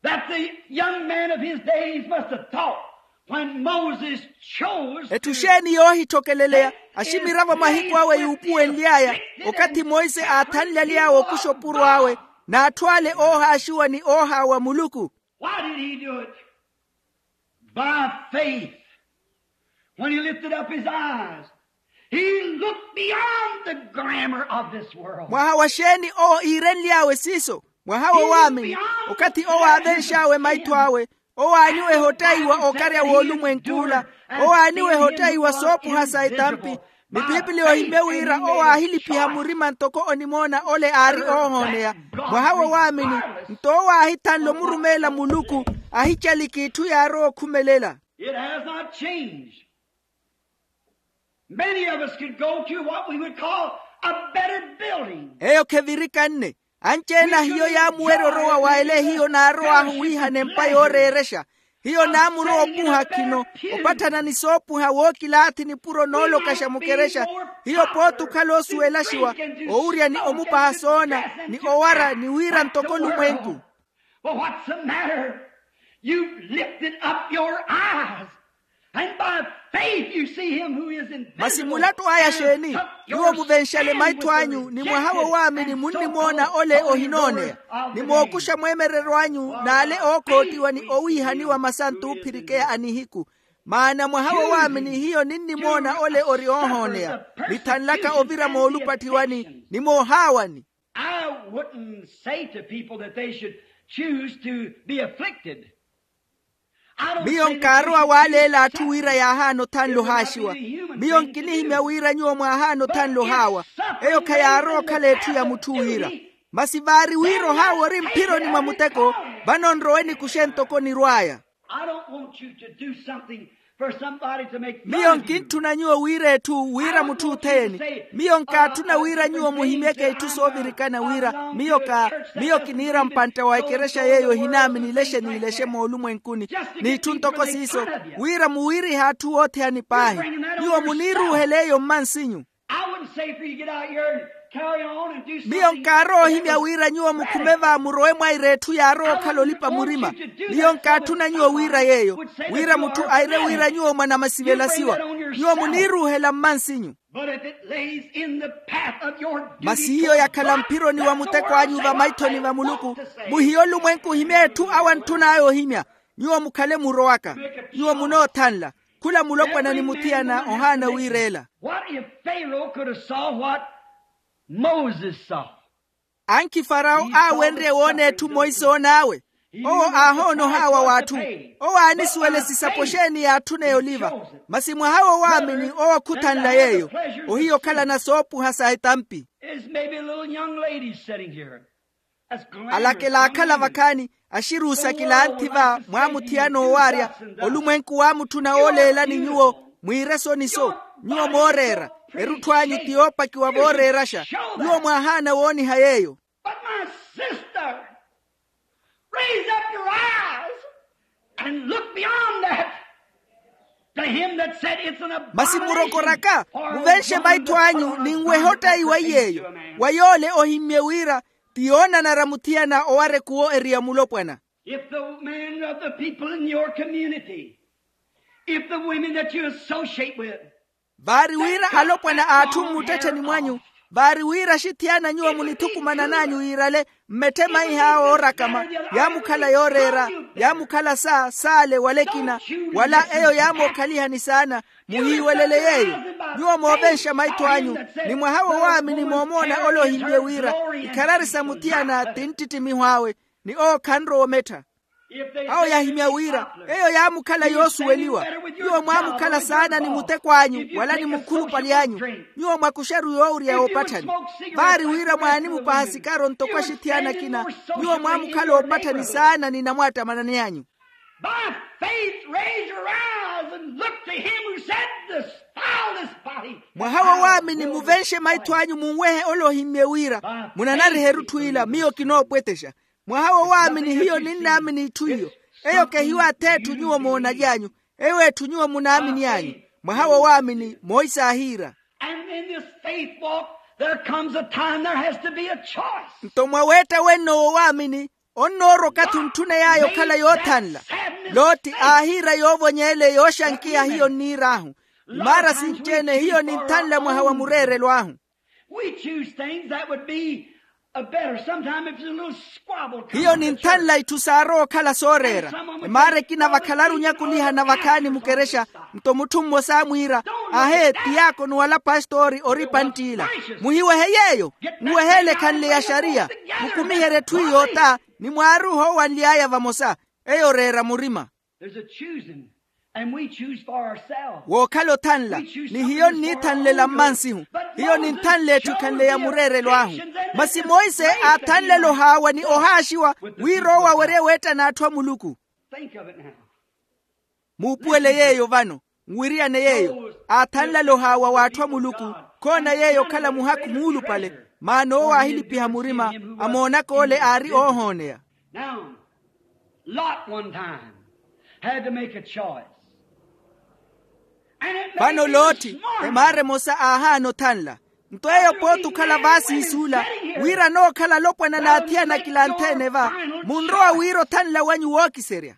that the young man of his days must have thought when Moses chose to. Etthu xeeni yoohitthokeleleya aximiravo mahiku awe yuupuwenly'aya, okathi monse aathanlaly'awe okuxa opuro awe n'atthu ale oohaaxiwa ni oohaawa muluku. Why did he do it? By faith. When he lifted up his eyes, he looked beyond the glamour of this world. Mwaha wa xeeni owo iirenly'awe siiso? Mwaha wo waamini. Okathi owo aavenx'awe maitho awe, owo aaniwa ehottaiwa okarya w'olumwenk'ula, owo aaniwa ehottaiwa soopuha sa etampi. Ni piipili ohimmye wira owo aahilipiha murima ntoko onimoona ole aari oohooneya. Mwaha wo waamini. Nto owo aahithanle omurumeela muluku, ahicaliki itthu yaarowa okhumelela. It has not changed. Many of us could go to what we would call a better building. Eyo khevirikanne. Anci-ene a hiyo yaamuwerya orowa wa ele hiyo naarow'ahu wiihana empa yooreerexa. Hiyo naamurowa opuha khino, opatthana ni soopuha wookilaathi nipuro noolokaxa mukerexa. Hiyo pooti okhala oosuwelaxiwa, owurya ni omupaha soona ni owara ni wira ntoko olumwenku. But what's the matter? You've lifted up your eyes, and by faith you see him who is invisible. Masi mulattu aya xeeni? Nyuwo muvenxale maitho anyu ni mwaha wo waamini munnimoona ole ohinooneya, ni mookuxa mweemereryo anyu n'ale ookoottiwa ni owiihaniwa masa nt'uphirikeya a nihiku. Maana mwaha wo waamini hiyo ninnimoona ole ori oohooneya, nithanlaka ovira moolupattiwani ni moohaawani. I wouldn't say to people that they should choose to be afflicted. Miyo nkaarowa waaleela atthu wira yaahaana othanla ohaaxiwa. Miyo nkinihimya wira nyuwo mwaahaana othanla ohaawa. Eyo khayaarowa okhala etthu ya mutthu wira. Masi vaari wira ohaawa ori mphironi mwa muteko, vano nrowe nikuxe ntoko nirw'aya. I don't want you to do something for somebody to make fun of you. Miyo nkintthuna nyuwo wira etthu wira mutthu othene. Miyo nkaatthuna wira nyuwo muhimyeke itthu soovirikana wira miyo ka miyo kiniira mpantta wa ekerexa yeeyo ehinaamini ilexe n'ilexe moolumwenkuni, n'itthu ntoko siiso, wira muwiirihe atthu othene paahi. Nyuwo muniiruuhela eyo mmansinyu. I wouldn't say for you to get out here and carry on and do something. Miyo nkaarowa ohimya wira nyuwo mukhume va murowe mwaira etthu yaarowa okhala olipa murima. Miyo nkaatthuna nyuwo wira yeeyo, wira mutthu aire wira nyuwo mwanamasivelasiwa. Nyuwo muniiruuhela mmansinyu. But if it lays in the path of your duty, masi hiyo yakhala mphironi wa muteko anyu va maithoni va muluku, muhiye olumwenku ohimya etthu awo antthun'aya ohimya. Nyuwo mukhale murowaka. Nyuwo munoothanla. Khula mulopwana ni muthiyana ohaana wiireela. What if Pharaoh could have saw what Moses saw? Ankhi farawo aawenrye woona etthu monse oon'awe. Owo aahoona ohaawa w'atthu. Owo aanisuwela esisapo xeeni yaatthuna eyoliva. Masi mwaha wo waamini owo khuthanla yeeyo. Ohiya okhalana soopuha sa etampi. There's maybe a little young lady sitting here. Alakela akhala vakhaani, axiruusa kilanthi va mwaamuthiyana owaarya. Olumwenku waamutthuna ooleelani nyuwo, mwiire soni-so. Nyuwo mooreera. Erutthu anyu ti yoopakiwa vooreeraxa. Nyuwo mwaahaana wooniha yeeyo. But my sister, raise up your eyes and look beyond that. To him that said it's an abomination. Masi murokoraka, muvenxe maitho anyu ninweha ottaiwa yeeyo, wa yoole ohimmye wira ti yoonanara muthiyana owarekuwo eriya mulopwana. If the men of the people in your community, if the women that you associate with, vaari wira alopwana a atthu mmuttettheni mwanyu, vaari wira axithiyana nyuwo munithukumanan'anyu yiirale, mmetthemaiha awo oorakama, yaamukhala yooreera, yaamukhala sa saale wala ekina, wala eyo yaamookhaliha ni saana. Muhiiwelele yeeyo. Nyuwo moovenxa maitho anyu, ni mwaha wo waamini moomoona ole ohimmye wira ikharari sa muthiyana ti nttittimiho awe, ni owo khanrowa omettha. Awo yahimya wira eyo yaamukhala yoosuweliwa. Nyuwo mwaamukhala saana ni muteko anyu wala ni mukhulupale anyu. Nyuwo mwakuxaru yoowurya yoopatthani. Vaari wira mwaanimupaha sikaro ntoko axithiyana akina. Nyuwo mwaamukhala oopatthani saana ni namwaattamanani anyu. By faith raise your eyes and look to him who said, "Defile this body." Mwaha wo waamini muvenxe maitho anyu munwehe ole ohimmye wira munanariha erutthu ila miyo kinoopwetexa. Mwaha wo waamini hiyo ninnaamini itthu iyo. Eyo kehiwaathi etthu nyuwo moonalyanyu. Eyo etthu nyuwo munaamini anyu. Mwaha wo waamini moisa aahiira. And in this faith walk there comes a time there has to be a choice. Nto mwa weetta wenno wo waamini onnoorwa okathi ontthuney'aya okhala yoothanla. Loti aahiira yoovonyeele yooxankiya hiyo nniir'ahu. Imaara sinci-ene hiyo ninthanla mwaha wa mureerelo ahu. We choose things that would be a better sometime if there's a little squabble. Hiyo ninthanla itthu saarowa okhala sooreera. Imaara ekina vakhalaru onyakuliha na vakhaani mukerexa. Nto mutthu mmosa amwiira, ahe tiyaakono wala pastori ori panttiila. Muhiwehe yeeyo. Muweheele ekhanle ya xariya. Mukumiherye etthu iyo ota ni mwaaruuha owanly'aya vamosa. Eyo oreera murima. There's a choosing, and we choose for ourselves. Wookhala othanla ni hiyo nniithanlela mmansihu. Hiyo ninthanla etthu ekhanle ya mureerelo ahu. Masi monse aathanlela ohaawa ni ohaaxiwa wira owo awerye weettana atthu a muluku. Think of it now. Muupuwele yeeyo vano. Nwiriyane yeeyo. Aathanlale ohaawa w'atthu a muluku. Khoona yeeyo okhala muhakhu muulupale. Maana owo aahilipiha murima. Amoonaka ole aari oohooneya. Now, Lot one time had to make a choice. Vano loothi emaara emosa aahaana othanla. Nto eyo pooti okhala vaasiisuula wira anookhala alopwana n'athiyana akilanthe-ene va, munrowa wira othanla wanyu wookiserya.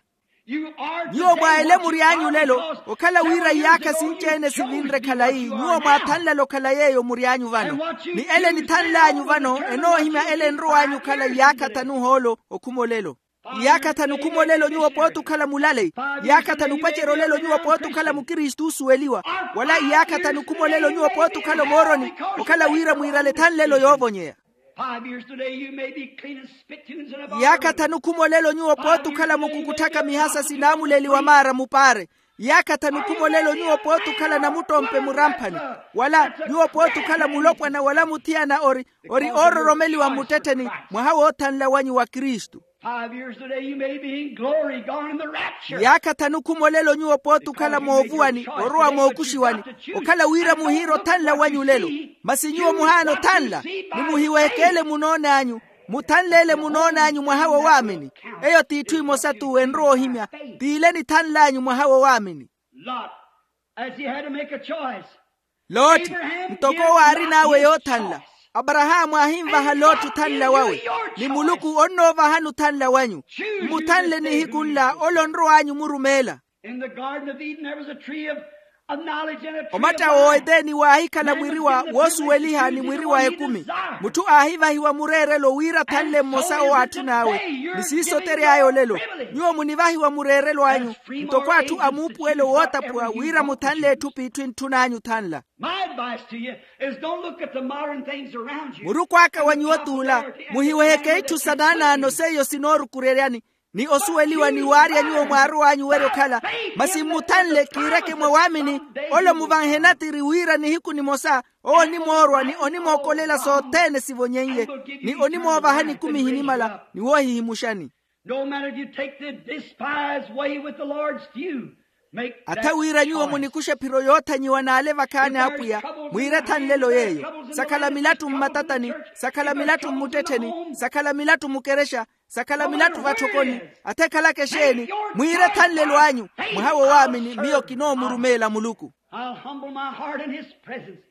Nyuwo mwa elemuri anyu lelo okhala wira iyaakha sinci-ene sivinre khalayi nyuwo mwaathanlale okhala yeeyo muri anyu vano. Ni ele enithanl'anyu vano enoohimya ele enrow'anyu okhala iyaakha thanu ohoolo okhuma olelo. Iyaakha thanu okhuma olelo nyuwo pooti okhala mulaleyi. Iyaakha thanu opacerya olelo nyuwo pooti okhala mukristu oosuweliwa. Wala iyaakha thanu okhuma olelo nyuwo pooti okhala omooroni okhala wira mwiirale ethanlelo yoovonyeya. Five years today you may be cleaning spittoons and a barroom. Iyaakha thanu okhuma olelo nyuwo pooti okhala mukukutthaka mihasa sinaamuleliwa maara mupaare. Iyaakha thanu okhuma olelo nyuwo pooti okhala namuttompe muramphani. Wala nyuwo pooti okhala mulopwana wala muthiyana ori ori oororomeliwa mmuttettheni mwaha woothanla wanyu wa kristu. Five years today you may be in glory gone in the rapture. Iyaakha thanu okhuma olelo nyuwo pooti okhala moovuwani orowa mookuxiwani. Okhala wira muhiira othanla wanyu lelo. Masi nyuwo muhaana othanla ni muhiwehekeele munoon'anyu. Muthanleele munoon'anyu mwaha wo waamini. Eyo t'itthu emosa-tu enrowa ohimya. T'ile enithanl'anyu mwaha wo waamini. Lot, as he had to make a choice. Loti, ntoko owo aarin'awe yoothanla. Aparahaamu aahinvaha loti othanla wawe. Ni muluku onnoovahani othanla wanyu. Mmuthanle nihiku nla ole onrow'anyu omurumeela. In the garden of eden there was a tree of, of knowledge and a tree of life. Omatta w'oeteni waahikhala mwiriwa woosuweliha ni mwiriwa ekumi. Mutthu aahivahiwa mureerelo wira athanle mmosa owo aatthun'awe. Ni siiso otery'aya olelo. Nyuwo munivahiwa mureerelo anyu ntoko atthu a muupuwelo wootaphuwa wira muthanle etthu p'itthu entthun'anyu othanla. My advice to you is don't look at the modern things around you. Murukhu aka wa nyuwo t'ula. Muhiweheke itthu sa naanaano seiyo sinoorukureryani ni osuweliwa ni waarya nyuwo mwaarow'anyu werya okhala. Masi mmuthanle kiireke mwa waamini ole omuvanhe natiri wira nihiku nimosa owo onimoorwa ni onimookolela sothene sivonyeiye ni onimoovahani ekumi ehinimala ni woohihimuxani. No matter if you take the despised way with the Lord's few. Atha wira nyuwo munikuxe ephiro yoothanyiwa n'ale vakhaani a apwiya. Mwiire ethanlelo yeeyo. Sakhala milattu mmatatani. Sakhala milattu mmuttettheni. Sakhala milattu mukerexa. Sakhala milattu vathokoni. Atha ekhalaka exeeni. Mwiire ethanlelo anyu. Mwaha wo waamini miyo kinoomurumeela muluku. I'll humble my heart in his presence.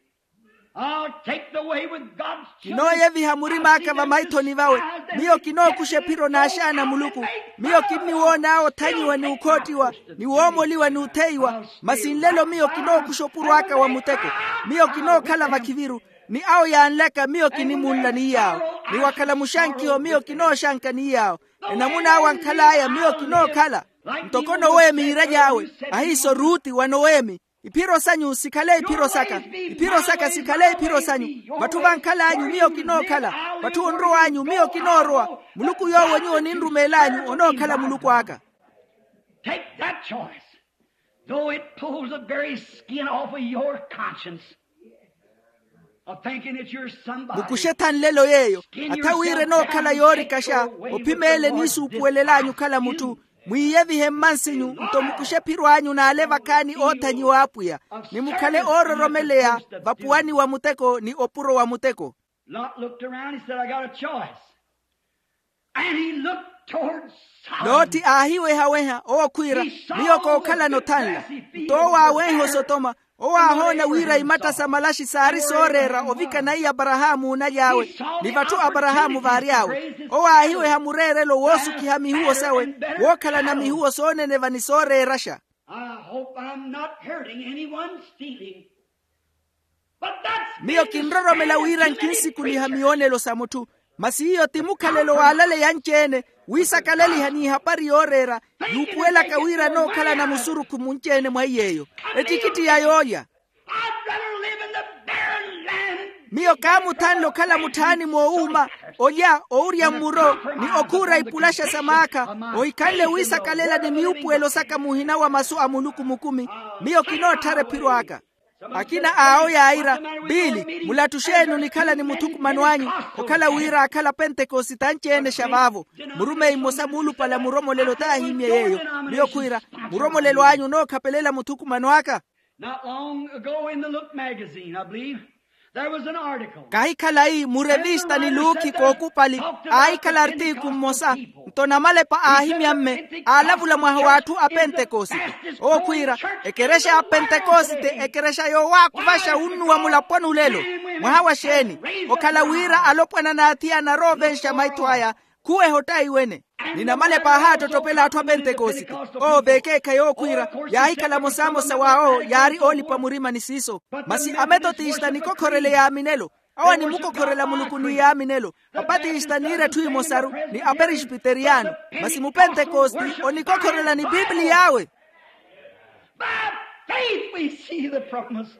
I'll take the way with God's children. Kinooyeviha murim'aka vamaithoni vawe. Miyo kinookuxa ephiro n'axaana a muluku. Miyo kinniwoon'awe othanyiwa ni ukhoottiwa ni woomoliwa ni utheiwa. Masi nlelo miyo kinookuxa opuro aka wa muteko. Miyo kinookhala vakhiviru. Ni awo yaanlaka miyo kinimunla ni yaawo. Ni wakhala muxankiho miyo kinooxanka ni yaawo. Enamun'awe ankhal'aya miyo kinookhala. Ntoko noweemi yiiraly'awe ahiiso ruuti wa noweemi. Iphiro sanyu sikhale iphiro saka. Iphiro saka sikhale iphiro sanyu. Vatthu vankhal'anyu miyo kinookhala. Vatthu onrow'anyu miyo kinoorowa. Muluku yoowo nyuwo ninrumeel'anyu onookhala muluku aka. Take that choice, though it pulls the very skin off of your conscience of thinking that you're somebody. Mukuxe ethanlelo yeeyo. Atha wira enookhala yoorikaxa. Ophim'ele niisuupuwelel'anyu okhala mutthu. Mwiiyevihe mmansinyu nto mukuxe ephiro anyu n'ale vakaani oothanyiwa apwiya, ni mukhale oororomeleya vapuwani wa muteko ni opuro wa muteko. Lot looked around, he said, "I got a choice." And he looked toward Sodom. Loothi aahiwehaweha owo khwiira, miyo kookhalana othanla. Nto owo aawenha osotoma. Owo aahoona wira imatta sa malaxi saari sooreera ovikana iy'aparahaamu onaly'awe, ni vatthu aparahaamu vaari awe. Owo aahiweha mureerelo woosukhiha mihuwo sawe, wookhalana mihuwo sooneneva ni sooreeraxa. I hope I'm not hurting anyone's feeling. Miyo kinroromela wira nkinsikuliha miyoonelo sa mutthu. Masi iyo ti mukhalelo w'alaleya anci-ene, wiisakaleliha n'ihapari yooreera, yuupuwelaka wira anookhalana musurukhu munci-ene mwa iy'eyo. Ettikitti ya yoolya. Miyo kaamuthanle okhala mutthaani moowuuma, olya, owurya mmuro, ni okhuura ipulaxa sa maakha, ohikhanle wiisakalela ni miupuwelo saka muhina wa masu a muluku mukumi. Miyo kinootthara ephiro aka. Akina awo yaayira, biili, mulattuxeeni onikhala ni muthukumano anyu, okhala wira aakhala apentekosite anci-ene xa vaavo. Murumeyi mmosa muulupale a muromolelo t'ahimye yeeyo. Miyo khwiira, muromolelo anyu onookhapelela muthukumano aka. Not long ago in the Look magazine, I believe, there was an article. Kahikhalayi murevista ni luukhi kookupali, aahikhala artiku mmosa. Nto namalepa aahimyamme, aalavula mwaha w'atthu a pentekosite. Owo khwiira, ekerexa ya pentekosite ekerexa yoowaakuvaxa unnuwa mulaponi olelo. Mwaha wa xeeni? Okhala wira alopwana n'athiyana aroovenxa maitho aya, khuweha ottayi wene. Ni namalepa aahaattottopela atthu a pentekosite. Owo veekeekhayi owo khwiira, yaahikhala mosamosa w'awo yaari oolipa murima ni siiso. Masi ametotista nikokhorele yaaminelo. Awo animukokhorela muluku ni yaaminelo. Apatista niira etthu emosaru, ni aperespiteriyano. Masi mupentekosti onikokhorela ni pipiliy'awe. By faith we see the promise.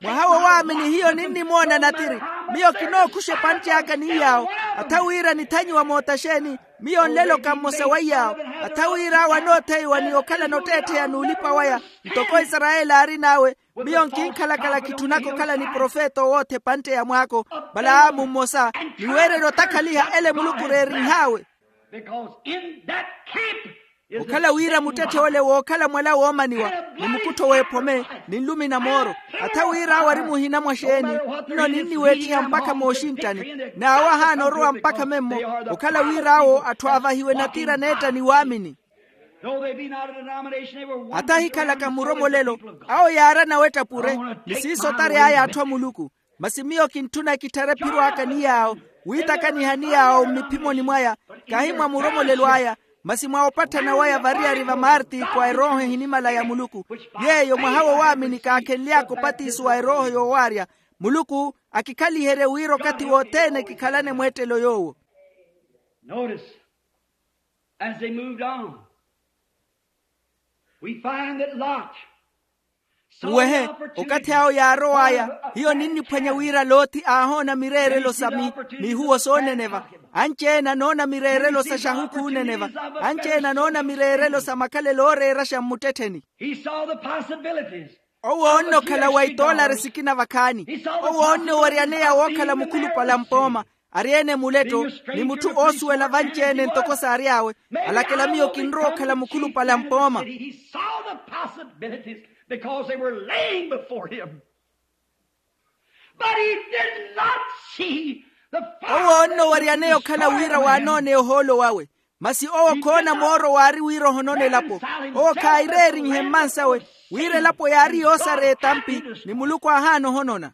Mwaha wo waamini hiyo ninnimoona natiri. Miyo kinookuxa epantte aka ni yaawo. Atha wira nithanyiwa mootaxeeni. Miyo nleloka mmosa wa iyaawo. Atha wira awo anootheiwa ni okhalana otteettheya n'ulipa waya, ntoko isarayeli aarin'awe. Miyo nkinkhalakhala kitthunaka okhala ni profeta owootha epantte ya mwaako, valaamu mmosa, ni weererya otakhaliha ele muluku reerinh'awe. Because in that camp is a okhala wira muttetthe ole wookhala mwala woomaniwa, ni mukuttho w'ephome, ni nlumi na mooro. Atha wira awo ari muhina mwa xeeni, nno ninniweettiha mpakha mooxinttani. N'awo ahaana orowa mpakha memmo. Okhala wira awo atthu aavahiwe natira neetta ni waamini. Though they be not a denomination, they were one. Atha ahikhalaka muromolelo, awo yaarana weetta pure, ni siiso otariy'aya atthu a muluku. Masi miyo kintthuna kitthare ephiro aka ni yaawo, wiitakaniha ni yaawo mmiphimoni mwaya, kahi mwa muromolelo aya, masi mwa opatthana waya variyari va marti kwa erooho ehinimala ya muluku. Yeeyo mwaha wo waamini kaakhenly'aka opatiso wa erooho yoowaarya. Muluku akikhaliherye wira okathi wothene kikhalane mweettelo yoowo. Notice, as they moved on, we find that Lot saw the opportunity. Uwehe, okathi awo yaarow'aya, hiyo ninniphwanya wira loti aahoona mireerelo sa mi, mihuwo sooneneva. Anci-ene anoona mireerelo sa xahukhu oneneva. Anci-ene anoona mireerelo sa makhalelo ooreeraxa mmuttettheni. He saw the possibilities. Owo oonne okhala wa itoolari sikina vakhaani. Owo oonne owaryaneya wookhala mukhulupale a mpooma. Ari-ene muletto, ni mutthu oosuwela vanci-ene ntoko saary'awe, alakela miyo kinrowa okhala mukhulupale a mpooma. He saw the possibilities because they were laying before him. But he did not see the owo onno waryaneya okhala wira waanooneya ohoolo wawe. Masi owo khoona mooro waari wira ohonona elapo. Owo khaayireerinhe mmansawe, wira elapo yaari yoosareya etampi, ni muluku aahaana ohonona.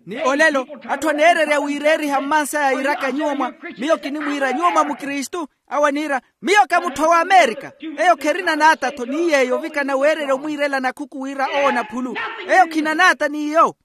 Ni olelo, atthu aneererya wiireeriha mmansaya iiraka nyuwo mwa, miyo kinimwiira nyuwo mwa mukristu. Awo aniira, miyo ka mutthu wa amerika. Eyo kherina naata-tho ni yeeyo ovikana weererya omwiirela nakhuku wira owo naphulu. Eyo khina naata n'iyo.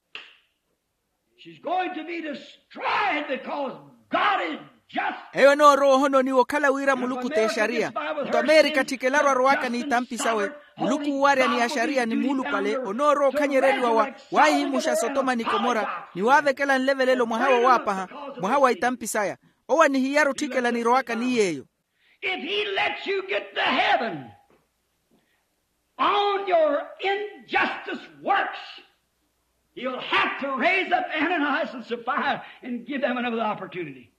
She's going to be destroyed because God is just. Eyo enoorowa ohononiwa okhala wira muluku t'exariya. Nto amerika tthikelaru arowaka n'itampi sawe. Muluku uwarya ni axariya ni muulupale onoorowa okhanyereriwa wa, waahihimuxa sotoma ni komora ni waavekela nlevelelo mwaha wowaapaha, mwaha wa itampi saya. Owo anihiyara otthikela nirowaka ni yeeyo. If he lets you get to heaven on your injustice works, he'll have to raise up Ananias and Sapphira and give them another opportunity.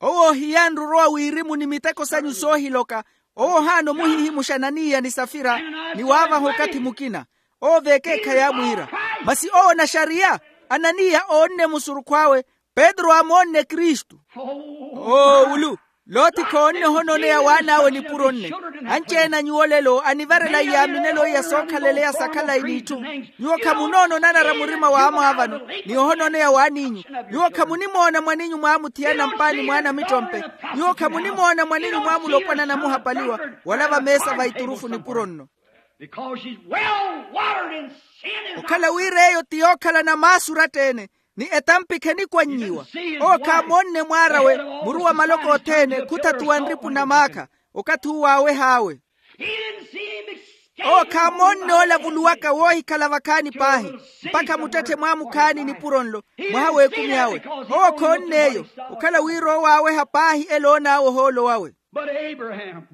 Owo ohiyanre orowa wirimu ni miteko sanyu soohiloka. Owo ohaana omuhihimuxa ananiya ni safira, ni waavaha okathi mukina. Owo vekeekhayi amwiira. Masi owo naxariya, ananiya oonne musurukhu awe. Petru aamoonne kristu. Oo ulu, loti khoonne ohonooneya waan'awe nipuro nne. Anci-ene a nyuwo lelo anivarela iyaaminelo iya sookhaleleya sa khalayi n'itthu. Nyuwo khamunoona onanara murima wa amwaavano, ni ohonooneya waan'inyu. Nyuwo khamunimoona mwan'inyu mwaamuthiyana mpaani mwaana mittompe. Nyuwo khamunimoona mwan'inyu mwaamulopwana namuhapaliwa, wala vameesa va iturufu nipuro nno. Because she's well watered in sin. Okhala wira eyo ti yookhalana maasu oratta-ene, ni etampikha enikwanyiwa. Owo khaamoonne mwaar'awe, muru wa maloko othene khuthatuwa nripu na maakha. Okathi uwo aaweh'awe. He didn't see him escape. Owo khaamoonne olavuluwaka woohikhala vakhaani paahi, mpakha muttetthe mwaamukhaani nipuro nlo, mwaha w'ekumi awe. Owo khoonn'eyo, okhala wira owo aaweha paahi elo oon'awe ohoolo wawe. But Abraham,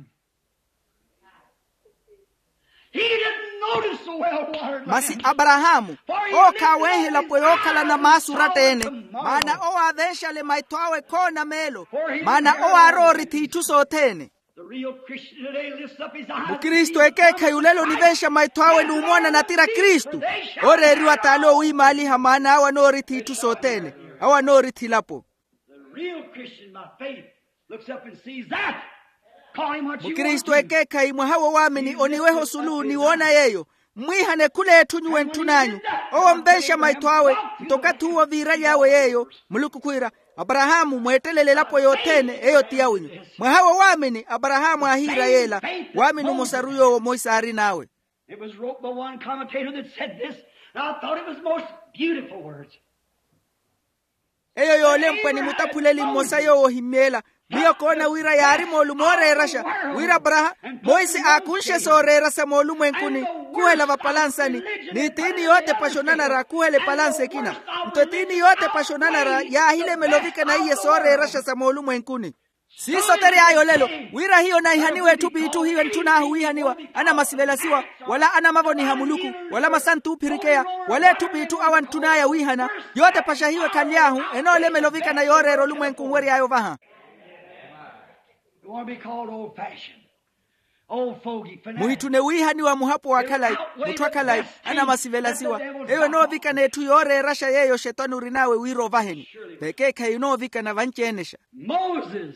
he didn't notice the well watered land. Masi aparahaamu, owo khaaweehe elapo yookhalana maasu oratta-ene. Maana owo aavenxale maitho awe khoona meelo. Maana owo aarowa orithi itthu sothene. The real Christian today lifts up his eyes. Mukristu ekeekhayi olelo onivenxa maitho awe n'umoona natira kristu. Ooreeriwa t'ale owiimaaliha maana awe anoorithi itthu sothene. Awe anoorithi elapo. The real Christian by faith looks up and sees that. Call him what you want. Mukristu ekeekhayi mwaha wowaamini oniweha osulu ni woona yeeyo. Mmwiihane khul'etthu nyuwo entthun'anyu. Owo onvenxa maitho awe. Nto okathi uwo viiraly'awe yeeyo, muluku khwiira, aparahaamu mweettelele elapo yothene eyo ti yawinyu. Mwaha wowaamini aparahaamu aahiira yeela. Waamini omosaru yoowo moisa aarin'awe. It was wrote by one commentator that said this, and I thought it was most beautiful words. Eyo yoolempwa ni mutaphuleli mmosa yoowo ohimmy'ela. Miyo koona wira yaari moolumo ooreeraxa, wira aparahaamu, moise aakunxe sooreera sa moolumwenkuni, khuhela vapalansani, ni tiini yootepaxa onanara khuhela epalansa ekina. Nto etiini yootepaxa onanara yaahilemela ovikana iye sooreeraxa sa moolumwenkuni. Siiso tere ayo olelo, wira hiyo naihaniwa etthu p'itthu hiyo entthun'ahu wiihaniwa, anamasivelasiwa, wala anamavoniha muluku, wala masantu oophirikeya, wala etthu p'itthu awo antthun'aya wiihana. Yootepaxa hiyo ekhaly'ahu enoolemela ovikana yooreera olumwenku nwery'aya ovaha. You want to be called old fashioned, old fogey, fanatic. Muhitthune wiihaniwa muhapo wa khalayi, mutthu a khalayi, anamasivelasiwa. Eyo enoovikana etthu yooreeraxa yeeyo xetwani orin'awe wira ovaheni. Vekeekhayi enoovikana vanci-enexa. Moses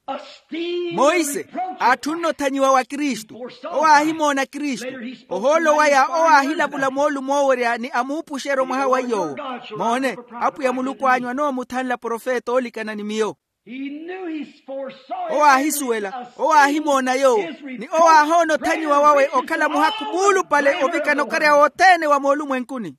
esteemed the reproach of Christ. Moise aatthunn'othanyiwa wa kristu. Owo aahimoona kristu. Ohoolo waya owo aahilavula moolumo oowerya ni amuupuxerya omwaha wa iy'owo. Moone, apwiya muluku anyu anoomuthanla profeta oolikana ni miyo. Owo aahisuwela, owo aahimoona yoowo, ni owo aahoona othanyiwa wawe okhala muhakhu muulupale ovikana okarya wothene wa moolumwenkuni.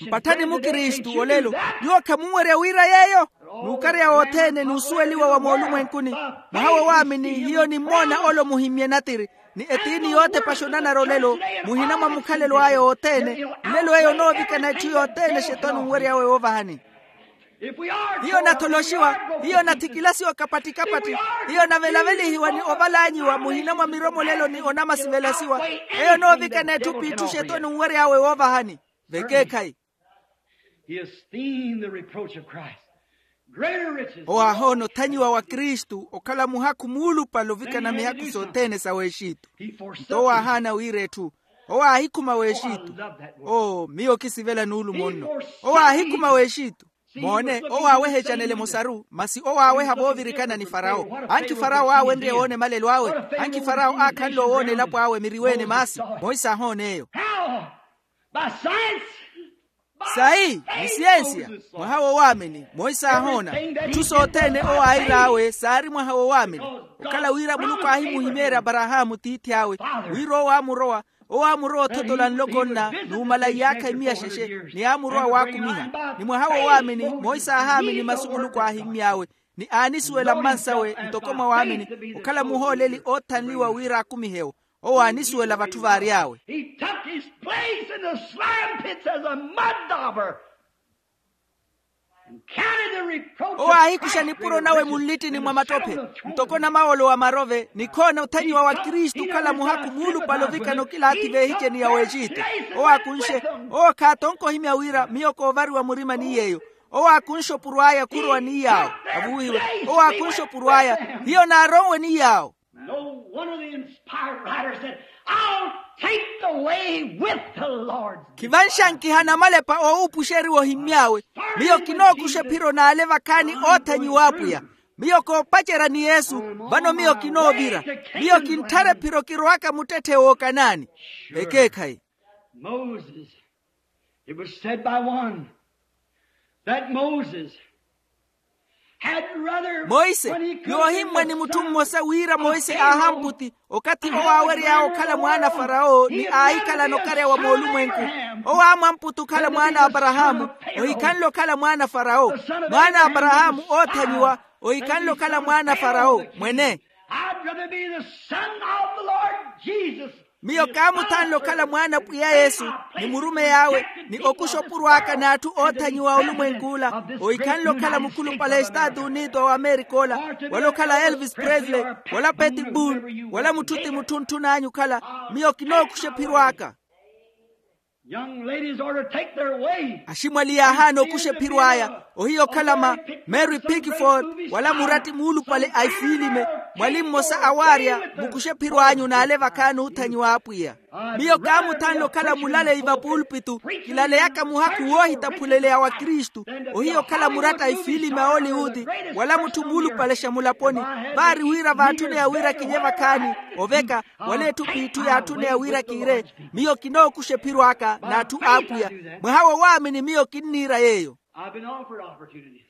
Mpatthani mukristu olelo, nyuwo khamunwerya wira yeeyo? N'ukarya wothene n'usuweliwa wa moolumwenkuni. Mwaha wowaamini hiyo nimmoona ole omuhimmye natiri, ni etiini yootepaxa onanara olelo, muhina mwa mukhalelo aya wothene. Nlelo eyo onoovikana etthu yothene xetwani onwery'awe woovahani. Hiyo natholoxiwa, hiyo nathikilasiwa kapattikapatti. Hiyo navelavelihiwa ni ovalanyiwa muhina mwa miromolelo ni onamasivelasiwa. Eyo onoovikana etthu p'itthu xetwani onwery'awe woovahani. Vekeekhayi. He esteemed the reproach of Christ greater riches. Owo aahoona othanyiwa wa kristu okhala muhakhu muulupale ovikana mihakhu sothene sa w'exitu. Nto owo aahaana wira etthu. Owo aahikhuma w'exitu. Oo miyo kisivela nuulumo nno. Owo aahikhuma w'exitu. Moone, owo aawehecanela emosaru, masi owo aaweha voovirikana ni farawo. Ankhi farawo aawenrye woona emalelo awe. Ankhi farawo aakhanle owoona elapo awe miriweene maasi. Moise aahoona eyo. Sayi ni siyensiya. Mwaha wowaamini moise aahoona. Itthu sothene owo aayir'awe saari mwaha wowaamini. Okhala wira muluku aahimuhimeerya aparahaamu tiithi awe, wira owo aamurowa owo aamurowa othotola nloko nna, n'umala iyaakha imiya xexe, ni aamurowa waakumiha. Ni mwaha wowaamini moise aahaamini masu muluku aahimmy'awe, ni aanisuwela mmansawe ntoko mwa waamini, okhala muhooleli oothanliwa wira akumihe-wo. Owo aanisuwela vatthu vaary'awe. He took his place in the slime pits as a mud dauber. Owo aahikuxa nipuro nawe munlittini mwa mattophe, ntoko namawolo wa marove ni khoona othanyiwa wa kristu okhala muhakhu muulupale ovikana okilaathi v'ehiceni ya w'exitu. Owo aakunxe. Owo khaatonka ohimya wira miyo koovariwa murima ni yeeyo. Owo aakunxa opuro aya khurowa ni yaawo. Avuwiwe. Owo aakunxa opuro aya. Hiyo naaronwe ni yaawo. No one of the inspired writers said, "I'll take the way with the Lord's." Khivanxankiha namalepa oowuupuxeriwa ohimmy'awe. Miyo kinookuxa ephiro n'ale vakhaani oothanyiwa apwiya. Miyo koopacerya ni yesu. Vano miyo kinoovira. Miyo kintthara ephiro kirowaka muttetthe wookanaani. Ekeekhayi. Moses, it was said by one that Moses had rather, monse, yoohimmwa ni mutthu mmosa wira monse aahamputi okathi owo aawery'awe okhala mwaana a farawo ni aahikhalana okarya wa moolumwenku. Owo aamwamputi okhala mwaana a aparahaamu. Ohikhanle okhala mwaana a farawo. Mwaana a aparahaamu oothanyiwa. Ohikhanle okhala mwaana a farawo mwene. I'd rather be the son of the Lord Jesus. Miyo kaamuthanle okhala mwaana a pwiya yesu, ni murumeyi awe, ni okuxa opuro aka n'atthu oothanyiwa a olumwenk'ula. Ohikhanle okhala mukhulupale a estatu unito a wamerika ola, wala okhala elvis presley, wala peti boon, wala mutthu ti mutthu ntthun'anyu okhala. Miyo kinookuxa ephiro aka. Young ladies are to take their way. Aximwali yaahaana okuxa ephiro aya. Ohiya okhala ma mary pickford, wala muratti muulupale a ifiilime. Mwali mmosa awaarya mukuxe ephiro anyu n'ale vakhaani oothanyiwa a apwiya. Miyo kaamuthanle okhala mulaleyi va pulpitu, kilaleyaka muhakhu woohitaphuleleya wa kristu. Ohiya okhala muratta a ifiilime a oliwuti, wala mutthu muulupalexa mulaponi. Vaari wira vaatthuneya wira kinye vakhaani, oveka, wala etthu p'itthu yaatthuneya wira kiire. Miyo kinookuxa ephiro aka n'atthu a apwiya. Mwaha wo waamini miyo kinniira yeeyo. I've been offered opportunities,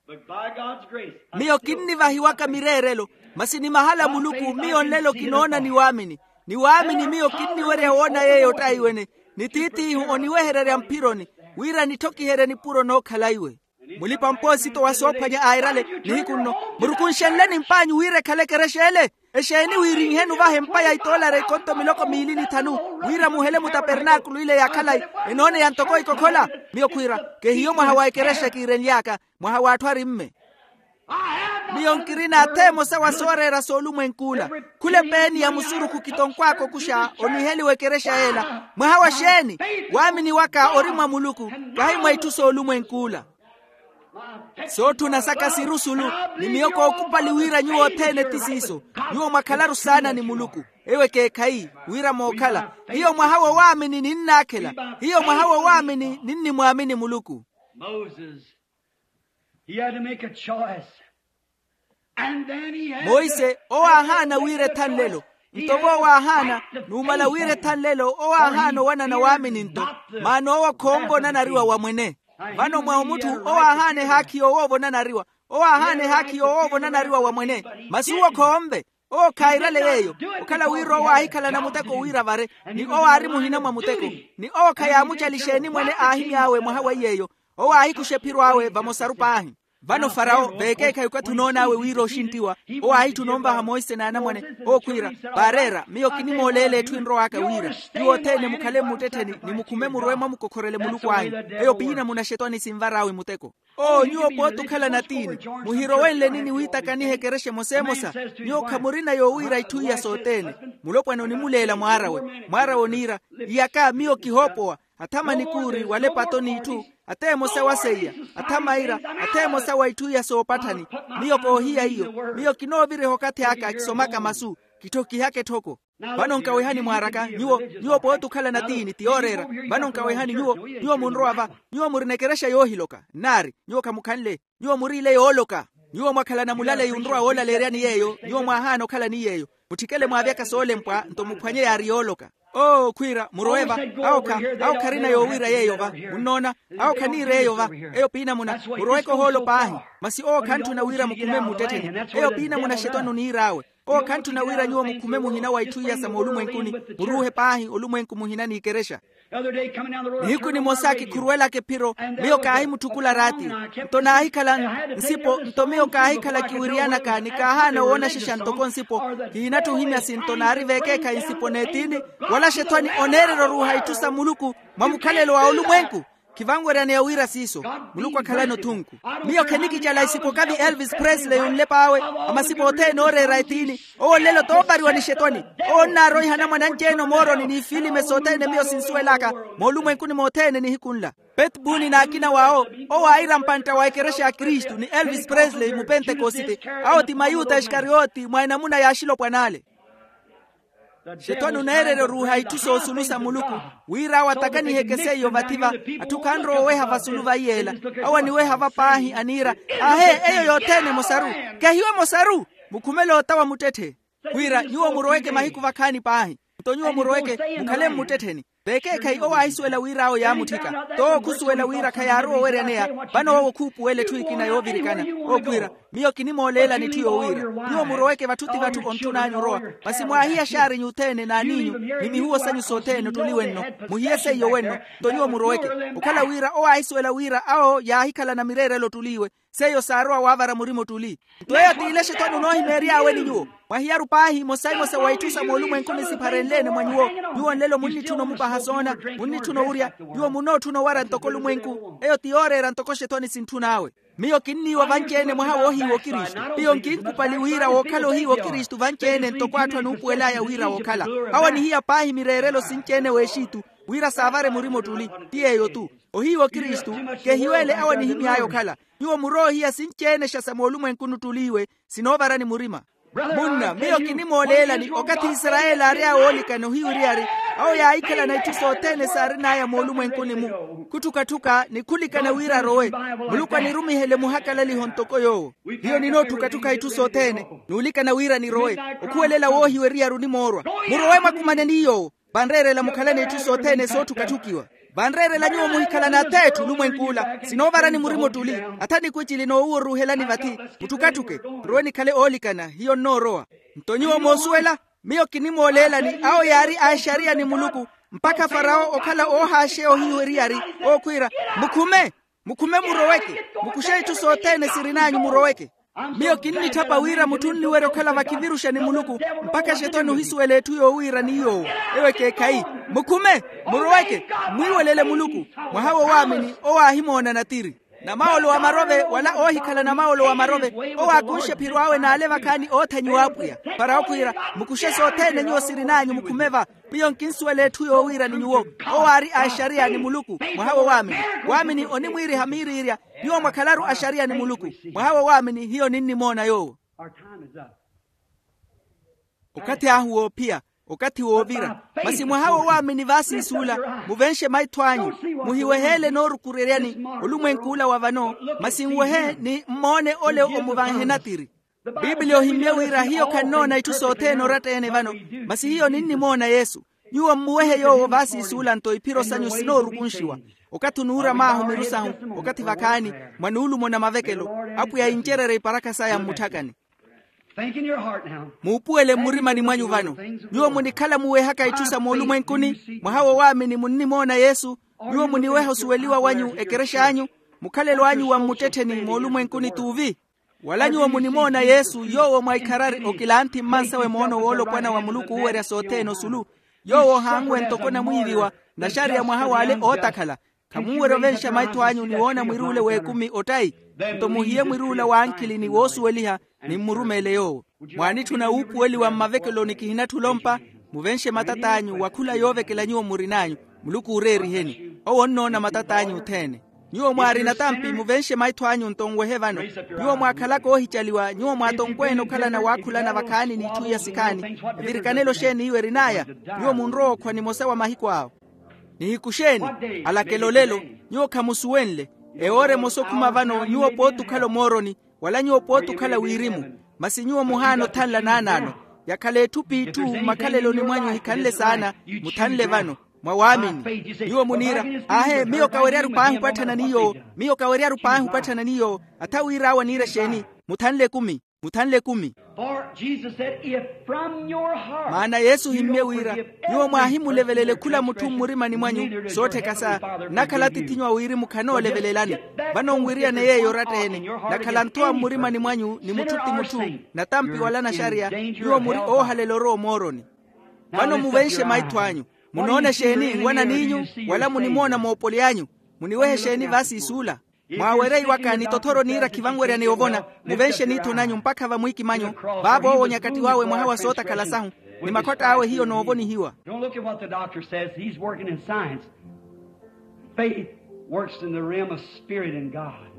but by God's grace, I still, miyo kinnivahiwaka mireerelo, masi ni mahala a muluku miyo nlelo kinoona ni waamini. Ni waamini miyo kinniwerya woona yeeyo ottaiwene, ni tiitiihu oniwehererya mphironi, wira nitthokiherye nipuro nookhala iwe. Mulipa-mpoosito wa soophwanya airale, nihiku nno, murukunxenleni mp'anyu wira ekhale ekerexa ele. Exeeni wiirinheni ovaha empa ya itoolari ekonto miloko miili ni thanu, wira muhele mutapernaakulu ile ya khalayi, enooneya ntoko ikokhola. Miyo khwiira, kehiyo mwaha wa ekerexa kiirenly'aka, mwaha w'atthu ari mme. Miyo nkirina atha emosa wa sooreera s'olumwenk'ula. Khula epeeni ya musurukhu kitonkw'aka okuxa oniheliwa ekerexa y'ela. Mwaha wa xeeni? Waamini waka ori mwa muluku, kahi mwa itthu s'olumwenk'ula. Sootthuna saka siri osulu, ni miyo kookupali wira nyuwo othene ti siiso. Nyuwo mwakhalaru saana ni muluku. Eyo ekeekhayi, wira mookhala. Hiyo mwaha wo waamini ninnaakhela. Hiyo mwaha wo waamini ninnimwaamini muluku. Moses, he had to make a choice. And then he had to monse owo aahaana wira ethanlelo. Nto vo owo aahaana, numala wira ethanlelo owo aahaana owanana waamini nto. Maana owo khoonva onanariwa wa mwene. Vano mwa omutthu owo aahaana ehaakhi yoowoova onanariwa. Owo aahaana ehaakhi yoowoova onanariwa wa mwene. Masi owo khoonve. Owo khairale yeeyo. Okhala wira owo aahikhalana muteko wira vare, ni owo aari muhina mwa muteko. Ni owo khayaamucalixeeni mwene aahimy'awe mwaha weiy'eyo. Owo aahikuxa ephiro awe vamosaru paahi. Vano farawo veekeekhayi okathi onoon'awe wira oxinttiwa, owo aahitthuna onvaha monse n'anamwane. Owo khwiira, vaareera miyo kinimooleela etthu enrow'aka wira, nyuwo othene mukhale mmuttettheni ni mukhume murwe mwamukokhorele muluku anyu. Eyo piina munaxetwani sinvar'awe muteko. Oo nyuwo pooti okhala natiini, muhirowenleni ni wiitakaniha ekerexa emosa emosa. Nyuwo khamurina yoowiira itthu iya sothene. Mulopwana onimuleela mwaar'awe. Mwaar'awe oniira, iyaka miyo kihoopowa. Athama nikuuri wala epato n'itthu, atheemosa wa seiya, athama ira, atheemosa wa itthu iya soopatthani. Miyo koohiya iyo. Miyo kinooviriha okathi aka kisomaka masu, kitthokihaka etthoko. Vano nkawehani mwaaraka nyuwo, nyuwo pooti okhala natiini ti yooreera. Vano nkawehani nyuwo, nyuwo munrowa va? Nyuwo murina ekerexa yoohiloka nnaari? Nyuwo khamukhanle. Nyuwo muriile yooloka. Nyuwo mwakhalana mulaleyi onrowa woolaleeryani yeeyo, nyuwo mwaahaana okhalani yeeyo. Mutthikele mwaavyaka soolempwa nto muphwanye yaari yooloka. Oo khwiira murowe va? Awo kha, awo kharina yoowiira yeeyo va? Munnoona? Awo khaniira eyo va? Eyo piinamuna. Muroweke ohoolo paahi. Masi owo khantthuna wira mukhume mmuttettheni. Eyo piinamuna axetwani oniir'awe. Owo khantthuna wira nyuwo mukhume muhina wa itthu iya sa moolumwenkuni. Muruuhe paahi olumwenku muhina n'ikerexa. Nihiku nimosa kikhuruwelaka ephiro, miyo kaahimutthukul'a raati. Nto naahikhala nsipo nto miyo kaahikhala kiwiriyanaka ni kaahaana woonaxexa ntoko nsipo. Kihinatthi ohimya sinto naari veekeekhayi nsipo n'etiini. Wala axethwani oneererya oruuha itthu sa muluku mwa mukhalelo wa olumwenku. Khivanweryaneya wira siiso. Muluku akhalani othunku. Miyo khenikicala isipokavi elvis presley onlep'awe. Amasipo othene ooreera etiini. Owo nlelo toovariwa ni xetwani. Owo onnaaroiha anamwane anci-ene omooroni n'ifilime sothene miyo sinsuwel'aka. Moolumwenkuni mothene nihiku nla petbuni n'akina w'awo. Owo aira mpantta wa ekerexa ya kristu ni elvis presley mupentekosite. Awo ti mayuta iskarioti mwa enamuna y'axilopwan'ale. Xetwani oneererya oruuha itthu soosulu sa muluku. Wira awo atakaniheke seiyo vathi-va. Atthu khanrowa oweha vasulu va iyeela. Awo aniweha va paahi aniira, ahe, eyo yothene emosaru. Kehiwe emosaru. Mukhumele ota wa muttetthe. Wira nyuwo muroweke mahiku vakhaani paahi. Nto nyuwo muroweke mukhale mmuttettheni. Vekeekhayi owo aahisuwela wira awo yaamutthika. Towo khusuwela wira khayaarowa oweryaneya. Vano owo khuupuwela etthu ekina yoovirikana. Owo khwiira, miyo kinimooleelani etthu yoowiira. Nyuwo muroweke vatthu ti vatthu ontthun'anyu orowa. Masi mwaahiya xaarinyu othene n'aniinyu ni mihuwo sanyu sothene ottuli wenno. Muhiye seiyo wenno. Nto nyuwo muroweke. Okhala wira owo aahisuwela wira awo yaahikhalana mireerelo ottuliiwe. Seiyo saarowa waavara murima ottuli. Nto eyo t'ile xetwani onoohimeery'awe ni nyuwo. Mwahiyaru paahi emosa emosa wa itthu sa moolumwenkuni sipharenle-ene mwa nyuwo. Nyuwo nlelo munnitthuna omupaha soona. Munnitthuna owurya. Nyuwo munootthuna owara ntoko olumwenku. Eyo ti yooreera ntoko xetwani sintthun'awe. Miyo kinniiwa vanci-ene mwaha woohiiwa okristu. Miyo nkinkupali wira wookhala ohiiwa okristu vanci-ene ntoko atthu anuupuwel'aya wira wookhala. Awo anihiya paahi mireerelo sinci-ene w'exitu. Wira saavare murima ottuli. Ti yeeyo-tu. Ohiiwa okristu. Kehiweele awo anihimy'aya okhala. Nyuwo muroohiya sinci-ene xa sa moolumwenkuni ottuli iwe. Sinoovarani murima. Munna miyo kinimooleelani okathi isarayeli aary'awe oolikana ohiwiriyari. Awo yaahikhalana itthu sothene saarin'aya moolumwenkuni-mu. Khutthukatthuka ni khulikana wira arowe. Muluku anirumihele muhakalaliho ntoko yoowo. Hiyo ninootthukatthuka itthu sothene. Nuulikana wira nirowe. Okhuwelela woohiweriyari onimoorwa. Murowe mwakumane ni yoowo. Vanreerela mukhalane itthu sothene sootthukatthukiwa. Vanreerela nyuwo muhikhalana atheetthu olumwenk'ula. Sinoovarani murima ottuli. Atha nikwiicili noowuwa oruuhelani vathi. Mutthukatthuke. Nrowe nikhale oolikana hiyo nnoorowa. Nto nyuwo moosuwela. Miyo kinimooleelani awo yaari a exariya ni muluku. Mpakha farawo okhala oohaaxeya ohiiwa eriyari. Ookhwiira, mukhume. Mukhume muroweke. Mukuxe itthu sothene sirin'anyu muroweke. Miyo kinnitthapa wira mutthu onniwerya okhala vakhiviruxa ni muluku. Mpakha xetwani ohisuwela etthu yoowiira ni yoowo. Ewo ekeekhayi. Mukhume. Muroweke. Mmwiiwelele muluku. Mwaha wo waamini owo aahimoona natiri. Namawolo wa marove wala oohikhala namawolo wa marove. Owo aakunxe phiro awe n'ale vakhaani oothanyiwa apwiya. Para okhwiira, mukuxe sothene nyuwo sirin'anyu mukhume va. Miyo nkinsuwela etthu yoowiira ni nyuwo. Owo aari a exariya ni muluku. Mwaha wo waamini. Waamini onimwiiriha miiriirya. Nyuwo mwakhalaru axariya ni muluku. Mwaha wo waamini hiyo ninnimoona yoowo. Okathi ahu woophiya. Okathi woovira. Masi mwaha wo waamini vaasiisuula. Muvenxe maitho anyu. Muhiweheele noorukureryani. Olumwenk'ula wa vano. Masi nwehe ni mmoone ole omuvanhe natiri. Pipiliya ohimmye wira hiyo khannoona itthu sothene oratta-ene vano. Masi hiyo ninnimoona yesu. Nyuwo mmuwehe yoowo vaasiisuula nto iphiro sanyu sinoorukunxiwa. Okathi onuura maahu miru sahu. Okathi vakhaani mwa nuulumona mavekelo. Apwiya incererye iparakha saya mmutthakani. Muupuwele mmurimani mwanyu vano. Nyuwo munikhala muwehaka itthu sa moolumwenkuni. Mwaha wo waamini munnimoona yesu. Nyuwo muniweha osuweliwa wanyu ekerex'anyu. Mukhalelo anyu wa mmuttettheni moolumwenkuni t'uvi. Wala nyuwo munimoona yesu yoowo mwa ikharari okilanthi mmansawe moono woolopwana wa muluku oowerya sothene osulu. Yoowo ohaanwe ntoko namwiiviwa. Naxariya mwaha w'ale ootakhala. Khamunwerya ovenxa maitho anyu ni woona mwiruule w'ekumi ottayi. Nto muhiye mwiruula w'ankhili ni woosuweliha. Ni mmurumeele yoowo. Mwaanitthuna wuupuweliwa mmavekeloni kihinatthi olompa. Muvenxe matat'anyu wa khula yoovekela nyuwo murin'anyu. Muluku ooreeriheni. Owo onnoona matat'anyu othene. Nyuwo mwaari natampi muvenxe maitho anyu nto nwehe vano. Nyuwo mwaakhalaka oohicaliwa nyuwo mwaatonkweene okhalana waakhulana vakhaani n'itthu iya sikhaani. Evirikanelo xeeni iwo erin'aya? Nyuwo munrowa okhwa nimosa wa mahiku awo. Nihiku xeeni? Alakela olelo. Nyuwo khamusuwenle. Ewoora emosa okhuma vano nyuwo pooti okhala omooroni. Wala nyuwo pooti okhala wirimu. Masi nyuwo muhaana othanla naanaano. Yakhala etthu p'itthu mmakhaleloni mwanyu ehikhanle saana. Muthanle vano. Mwa waamini. Nyuwo muniira, aahe miyo kaweryaru paahi opatthana ni yoowo. Miyo kaweryaru paahi opatthana ni yoowo. Atha wir'awe aniira exeeni? Muthanle ekumi. Muthanle ekumi. Maana yesu ohimmye wira, nyuwo mwaahimulevelele khula mutthu mmurimani mwanyu soottheka sa. Nnakhala atithinyu a wirimu khanoolevelelani. Vano nwiriyane yeeyo oratta-ene. Nakhala nthowa mmurimani mwanyu ni mutthu ti mutthu. Natampi wala naxariya. Nyuwo muri oohalela orowa omooroni. Vano muvenxe maitho anyu. Munoona exeeni nwananiinyu? Wala munimoona moopoli anyu? Muniwehe exeeni vaasiisuula? Mwaawereiwaka ni tothoro niira khivanweryani ovona. Muvenxe niitho nanyu mpakha vamwiikimanyu. Vaavo owo nyakatti wawe mwaha wa sootakhala sahu, ni makhwatta awe hiyo noovonihiwa. Don't look at what the doctor says. He's working in science. Faith works in the realm of spirit and God.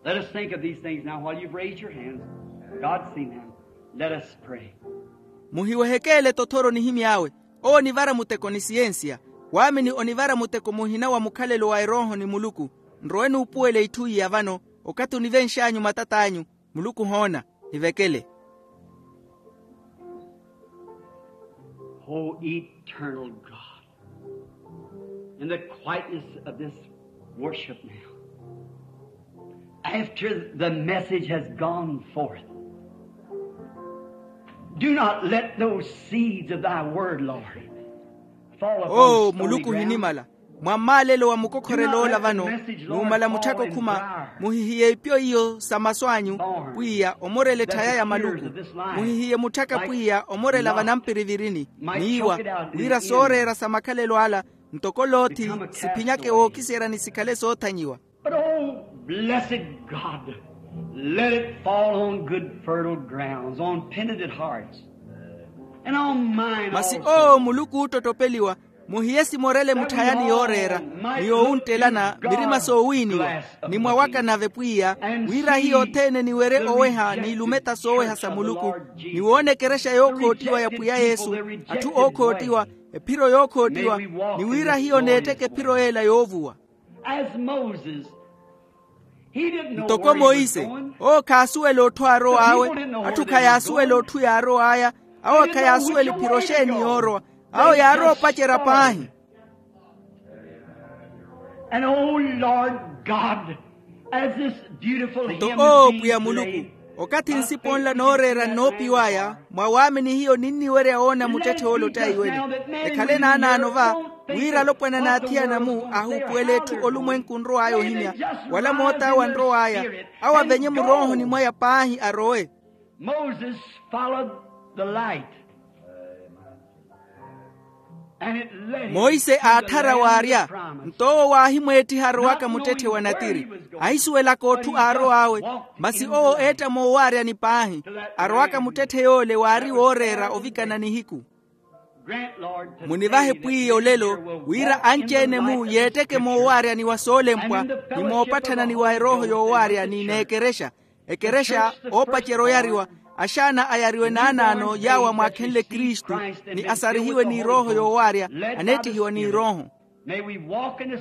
Let us think of these things now while you've raised your hands. God's seen them. Let us pray. Muhiwehekeele tothoro nihimy'awe. Owo onivara muteko ni siyensiya. Waamini onivara muteko muhina wa mukhalelo wa erooho ni muluku. Nrowe nuupuwele itthu iya vano, okathi onivenx'anyu matat'anyu. Muluku ohoona. Nivekele. O eternal God, in the quietness of this worship now, after the message has gone forth, do not let those seeds of thy word, Lord, fall upon stony ground. O muluku ohinimala, mwa mmaalelo wa mukokhorelo ola vano, numala mutthaka okhuma, muhihiye ipyo iyo sa masu anyu, pwiya omorela etthaya ya maluku. Muhihiye mutthaka pwiya omorela vanampirivirini, n'iwa, wira sooreera sa makhalelo ala, ntoko loothi, siphinyake wookiseerya ni sikhale soothanyiwa. But, oh, blessed God, let it fall on good fertile grounds, on penitent hearts, and on mine also. Masi oo muluku oottottopeliwa, muhiye simorele mutthayani yooreera, ni yowunttelana mirima soowiiniwa, ni mwawaka nave pwiya, wira hiyo othene niwerye oweha n'ilumetta sooweha sa muluku, ni woona ekerexa yookhottiwa ya pwiya yesu, atthu ookhottiwa, ephiro yookhottiwa, ni wira hiyo neetteke ephiro yeela yoovuwa. Ntoko monse, owo khaasuwela otthu aarow'awe. Atthu khayaasuwela otthu yaarow'aya. Awo khayaasuwela ephiro xeeni yoorowa. Awo yaarowa opacerya paahi. Nto owo pwiya muluku, okathi nsipo nla nooreera nnoopiw'aya, mwa waamini hiyo ninniwerya woona muttetthe ole ottaiwene. Ekhale naanaano va, wira alopwana n'athiyana-mu ahuupuwela etthu olumwenku onrow'aya ohimya, wala moot'awe anrow'aya, awo avenye muroohoni mwaya paahi arowe. Monse aatthara waarya. Nto owo waahimweettiha arowaka muttetthe wa natiri, ahisuwelaka otthu aarow'awe. Masi owo eetta moowaaryani paahi, arowaka muttetthe yoole waari wooreera ovikana nihiku. Munivahe pwiya olelo, wira anci-ene-mu yeetteke moowaaryani wa soolempwa, ni moopatthana ni wa erooho yoowaarya ni n'ekerexa. Ekerexa, oopacerya oyariwa, axaana ayariwe naanaano yaawo amwaakhenle kristu, ni asarihiwe n'irooho yoowaarya, aneettihiwa n'irooho.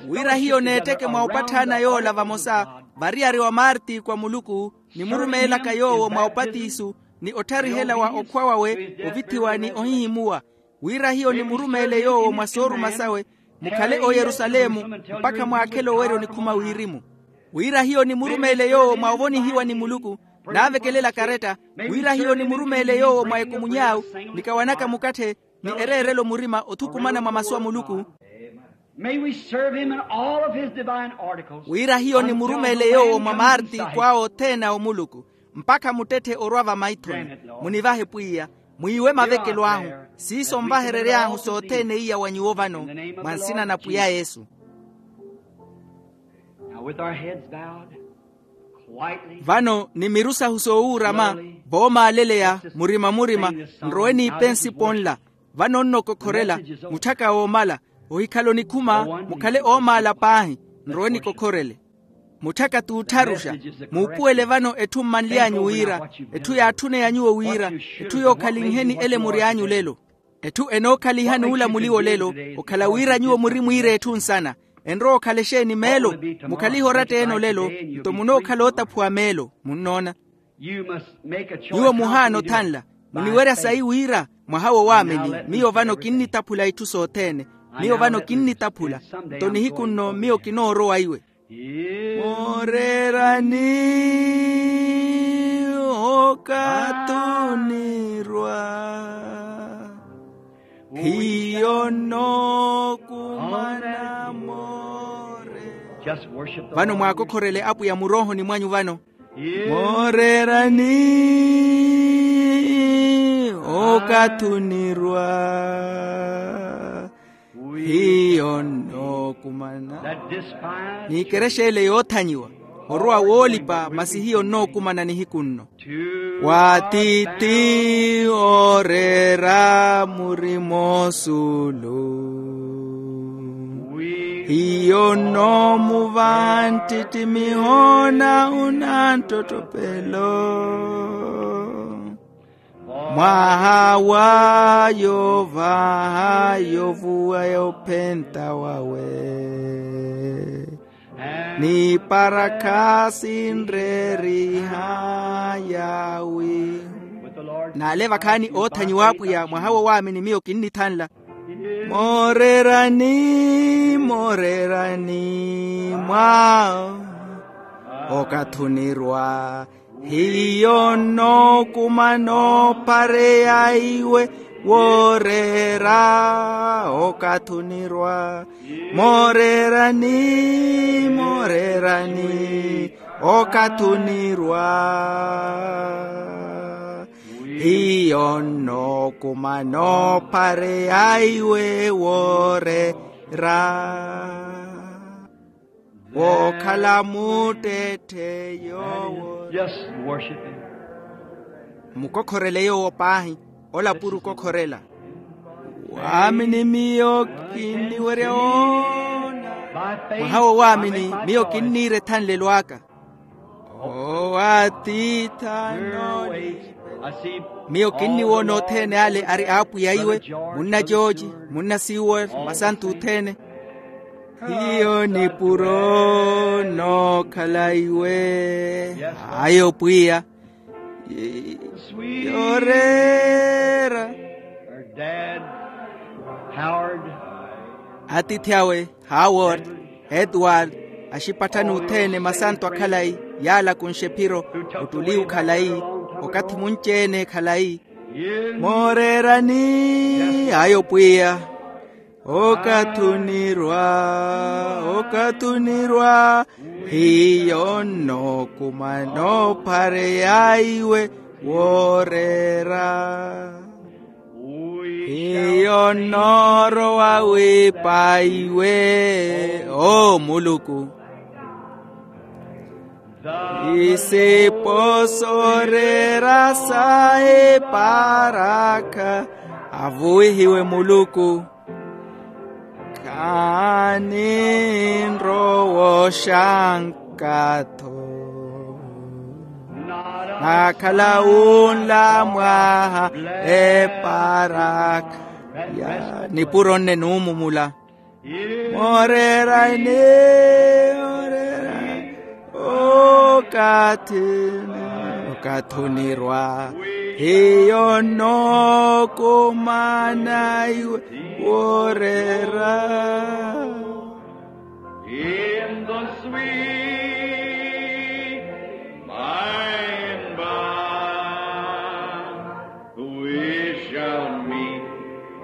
Wira hiyo neetteke mwa opatthana yoola vamosa, variyari wa marti kwa muluku, nimurumeelaka yoowo mwa opatisu, ni otthariherya wa okhwa wawe, ovithiwa ni ohihimuwa. Wira hiyo nimurumeele yoowo mwa sooruma sawe, mukhale oyerusalemu, mpakha mwaakhele owerya onikhuma wirimu. Wira hiyo nimurumeele yoowo mwa ovonihiwa ni muluku, naavekelela karetta. Wira hiyo nimurumeele yoowo mwa ekumuny'awe, nikawanaka mukatthe, ni ereerelo murima othukumana mwa masu a muluku. Wira hiyo nimurumeele yoowo mwa maarti kw'awe othene a omuluku, mpakha muttetthe orwa vamaithoni. Munivahe pwiya, mwiiwe mavekelo ahu. Siiso onvaherery'ahu sothene iya wa nyuwo vano, mwa nsina na pwiya yesu. Vano ni miru sahu soowuurama, voomaaleleya murima-murima, nrowe niipe nsipo nla. Vano nnokokhorela, mutthaka woomala, ohikhala onikhuma, mukhale oomaala paahi, nrowe nikokhorele. Mutthaka t'uttharuxa, muupuwele vano etthu mmanly'anyu wira, etthu yaatthuney'anyu wira, etthu yookhalinheni elemuri anyu lelo. Etthu enookhaliha n'ulamuli wolelo, okhala wira nyuwo muri mwiira etthu nsana. Enrowa okhala exeeni meelo? Mukhalihe oratta-ene olelo, nto munookhala ootaphuwa meelo. Munnoona? Nyuwo muhaana othanla. Muniwerya sayi wira, mwaha wo waamini, miyo vano kinnitaphula itthu sothene. Miyo vano kinnitaphula. Nto nihiku nno miyo kinoorowa iwe. Mooreerani, okathi onirwa, hiyo nnookumana moore. Vano mwaakokhorele apwiya muroohoni mwanyu vano. Mooreerani, okathi onirwa. Hiyo nnookumana. N'ikerexa ele yoothanyiwa, orowa woolipa masi hiyo nnookumana nihiku nno. Wa tiithi ooreera murima osulu. Hiyo nnoomuva nttittimiho na unanttottopelo. Mwaha wa yovaha yovuwa yophenta wawe, ni parakha sinreeriha yawi. N'ale vakhaani oothanyiwa apwiya mwaha wo waamini miyo kinnithanla. Mooreerani mooreerani mwa okathi onirwa. Hiyo nnookumana opareya iwe wooreera okathi onirwa. Mooreerani mooreerani okathi onirwa. Hiyo nnookumana opareya iwe wooreera. Wookhala muttetthe yoowo. Just worship him. Mukokhorele yoowo paahi. Ola puro okokhorela. Waamini miyo kinniwerya woona. Mwaha wo waamini miyo kinniira ethanlelo aka. Owo atiitha nooni. Miyo kinniwoona othene ale ari apwiya iwe, munna jooji, munna siwel, masantu othene. Hiyo nipuro nookhala iwe. Ayo pwiya. Yooreera. Atiithi awe, howard, edward, axipatthani othene masantu a khalayi, yaala kunxe phiro, ottuliwu khalayi, okathi munci-ene ekhalayi. Mooreerani ayo pwiya. Okathi onirwa, okathi onirwa. Hiyo nnookumana ophareya iwe wooreera. Hiyo nnoorowa wiipa iwe, o muluku. Isipo sooreera sa eparakha. Avuwihiwe muluku. Khaani nrowa oxanka-tho. Nakhala wunla mwaha eparakha. Ya nipuro nne nuumumula. Mooreerani, mooreerani, okathi, okathi onirwa. Hiyo nnookumana iwe wooreera. In the sweet by and by, we shall meet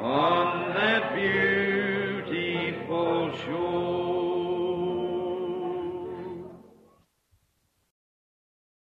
on that beautiful shore.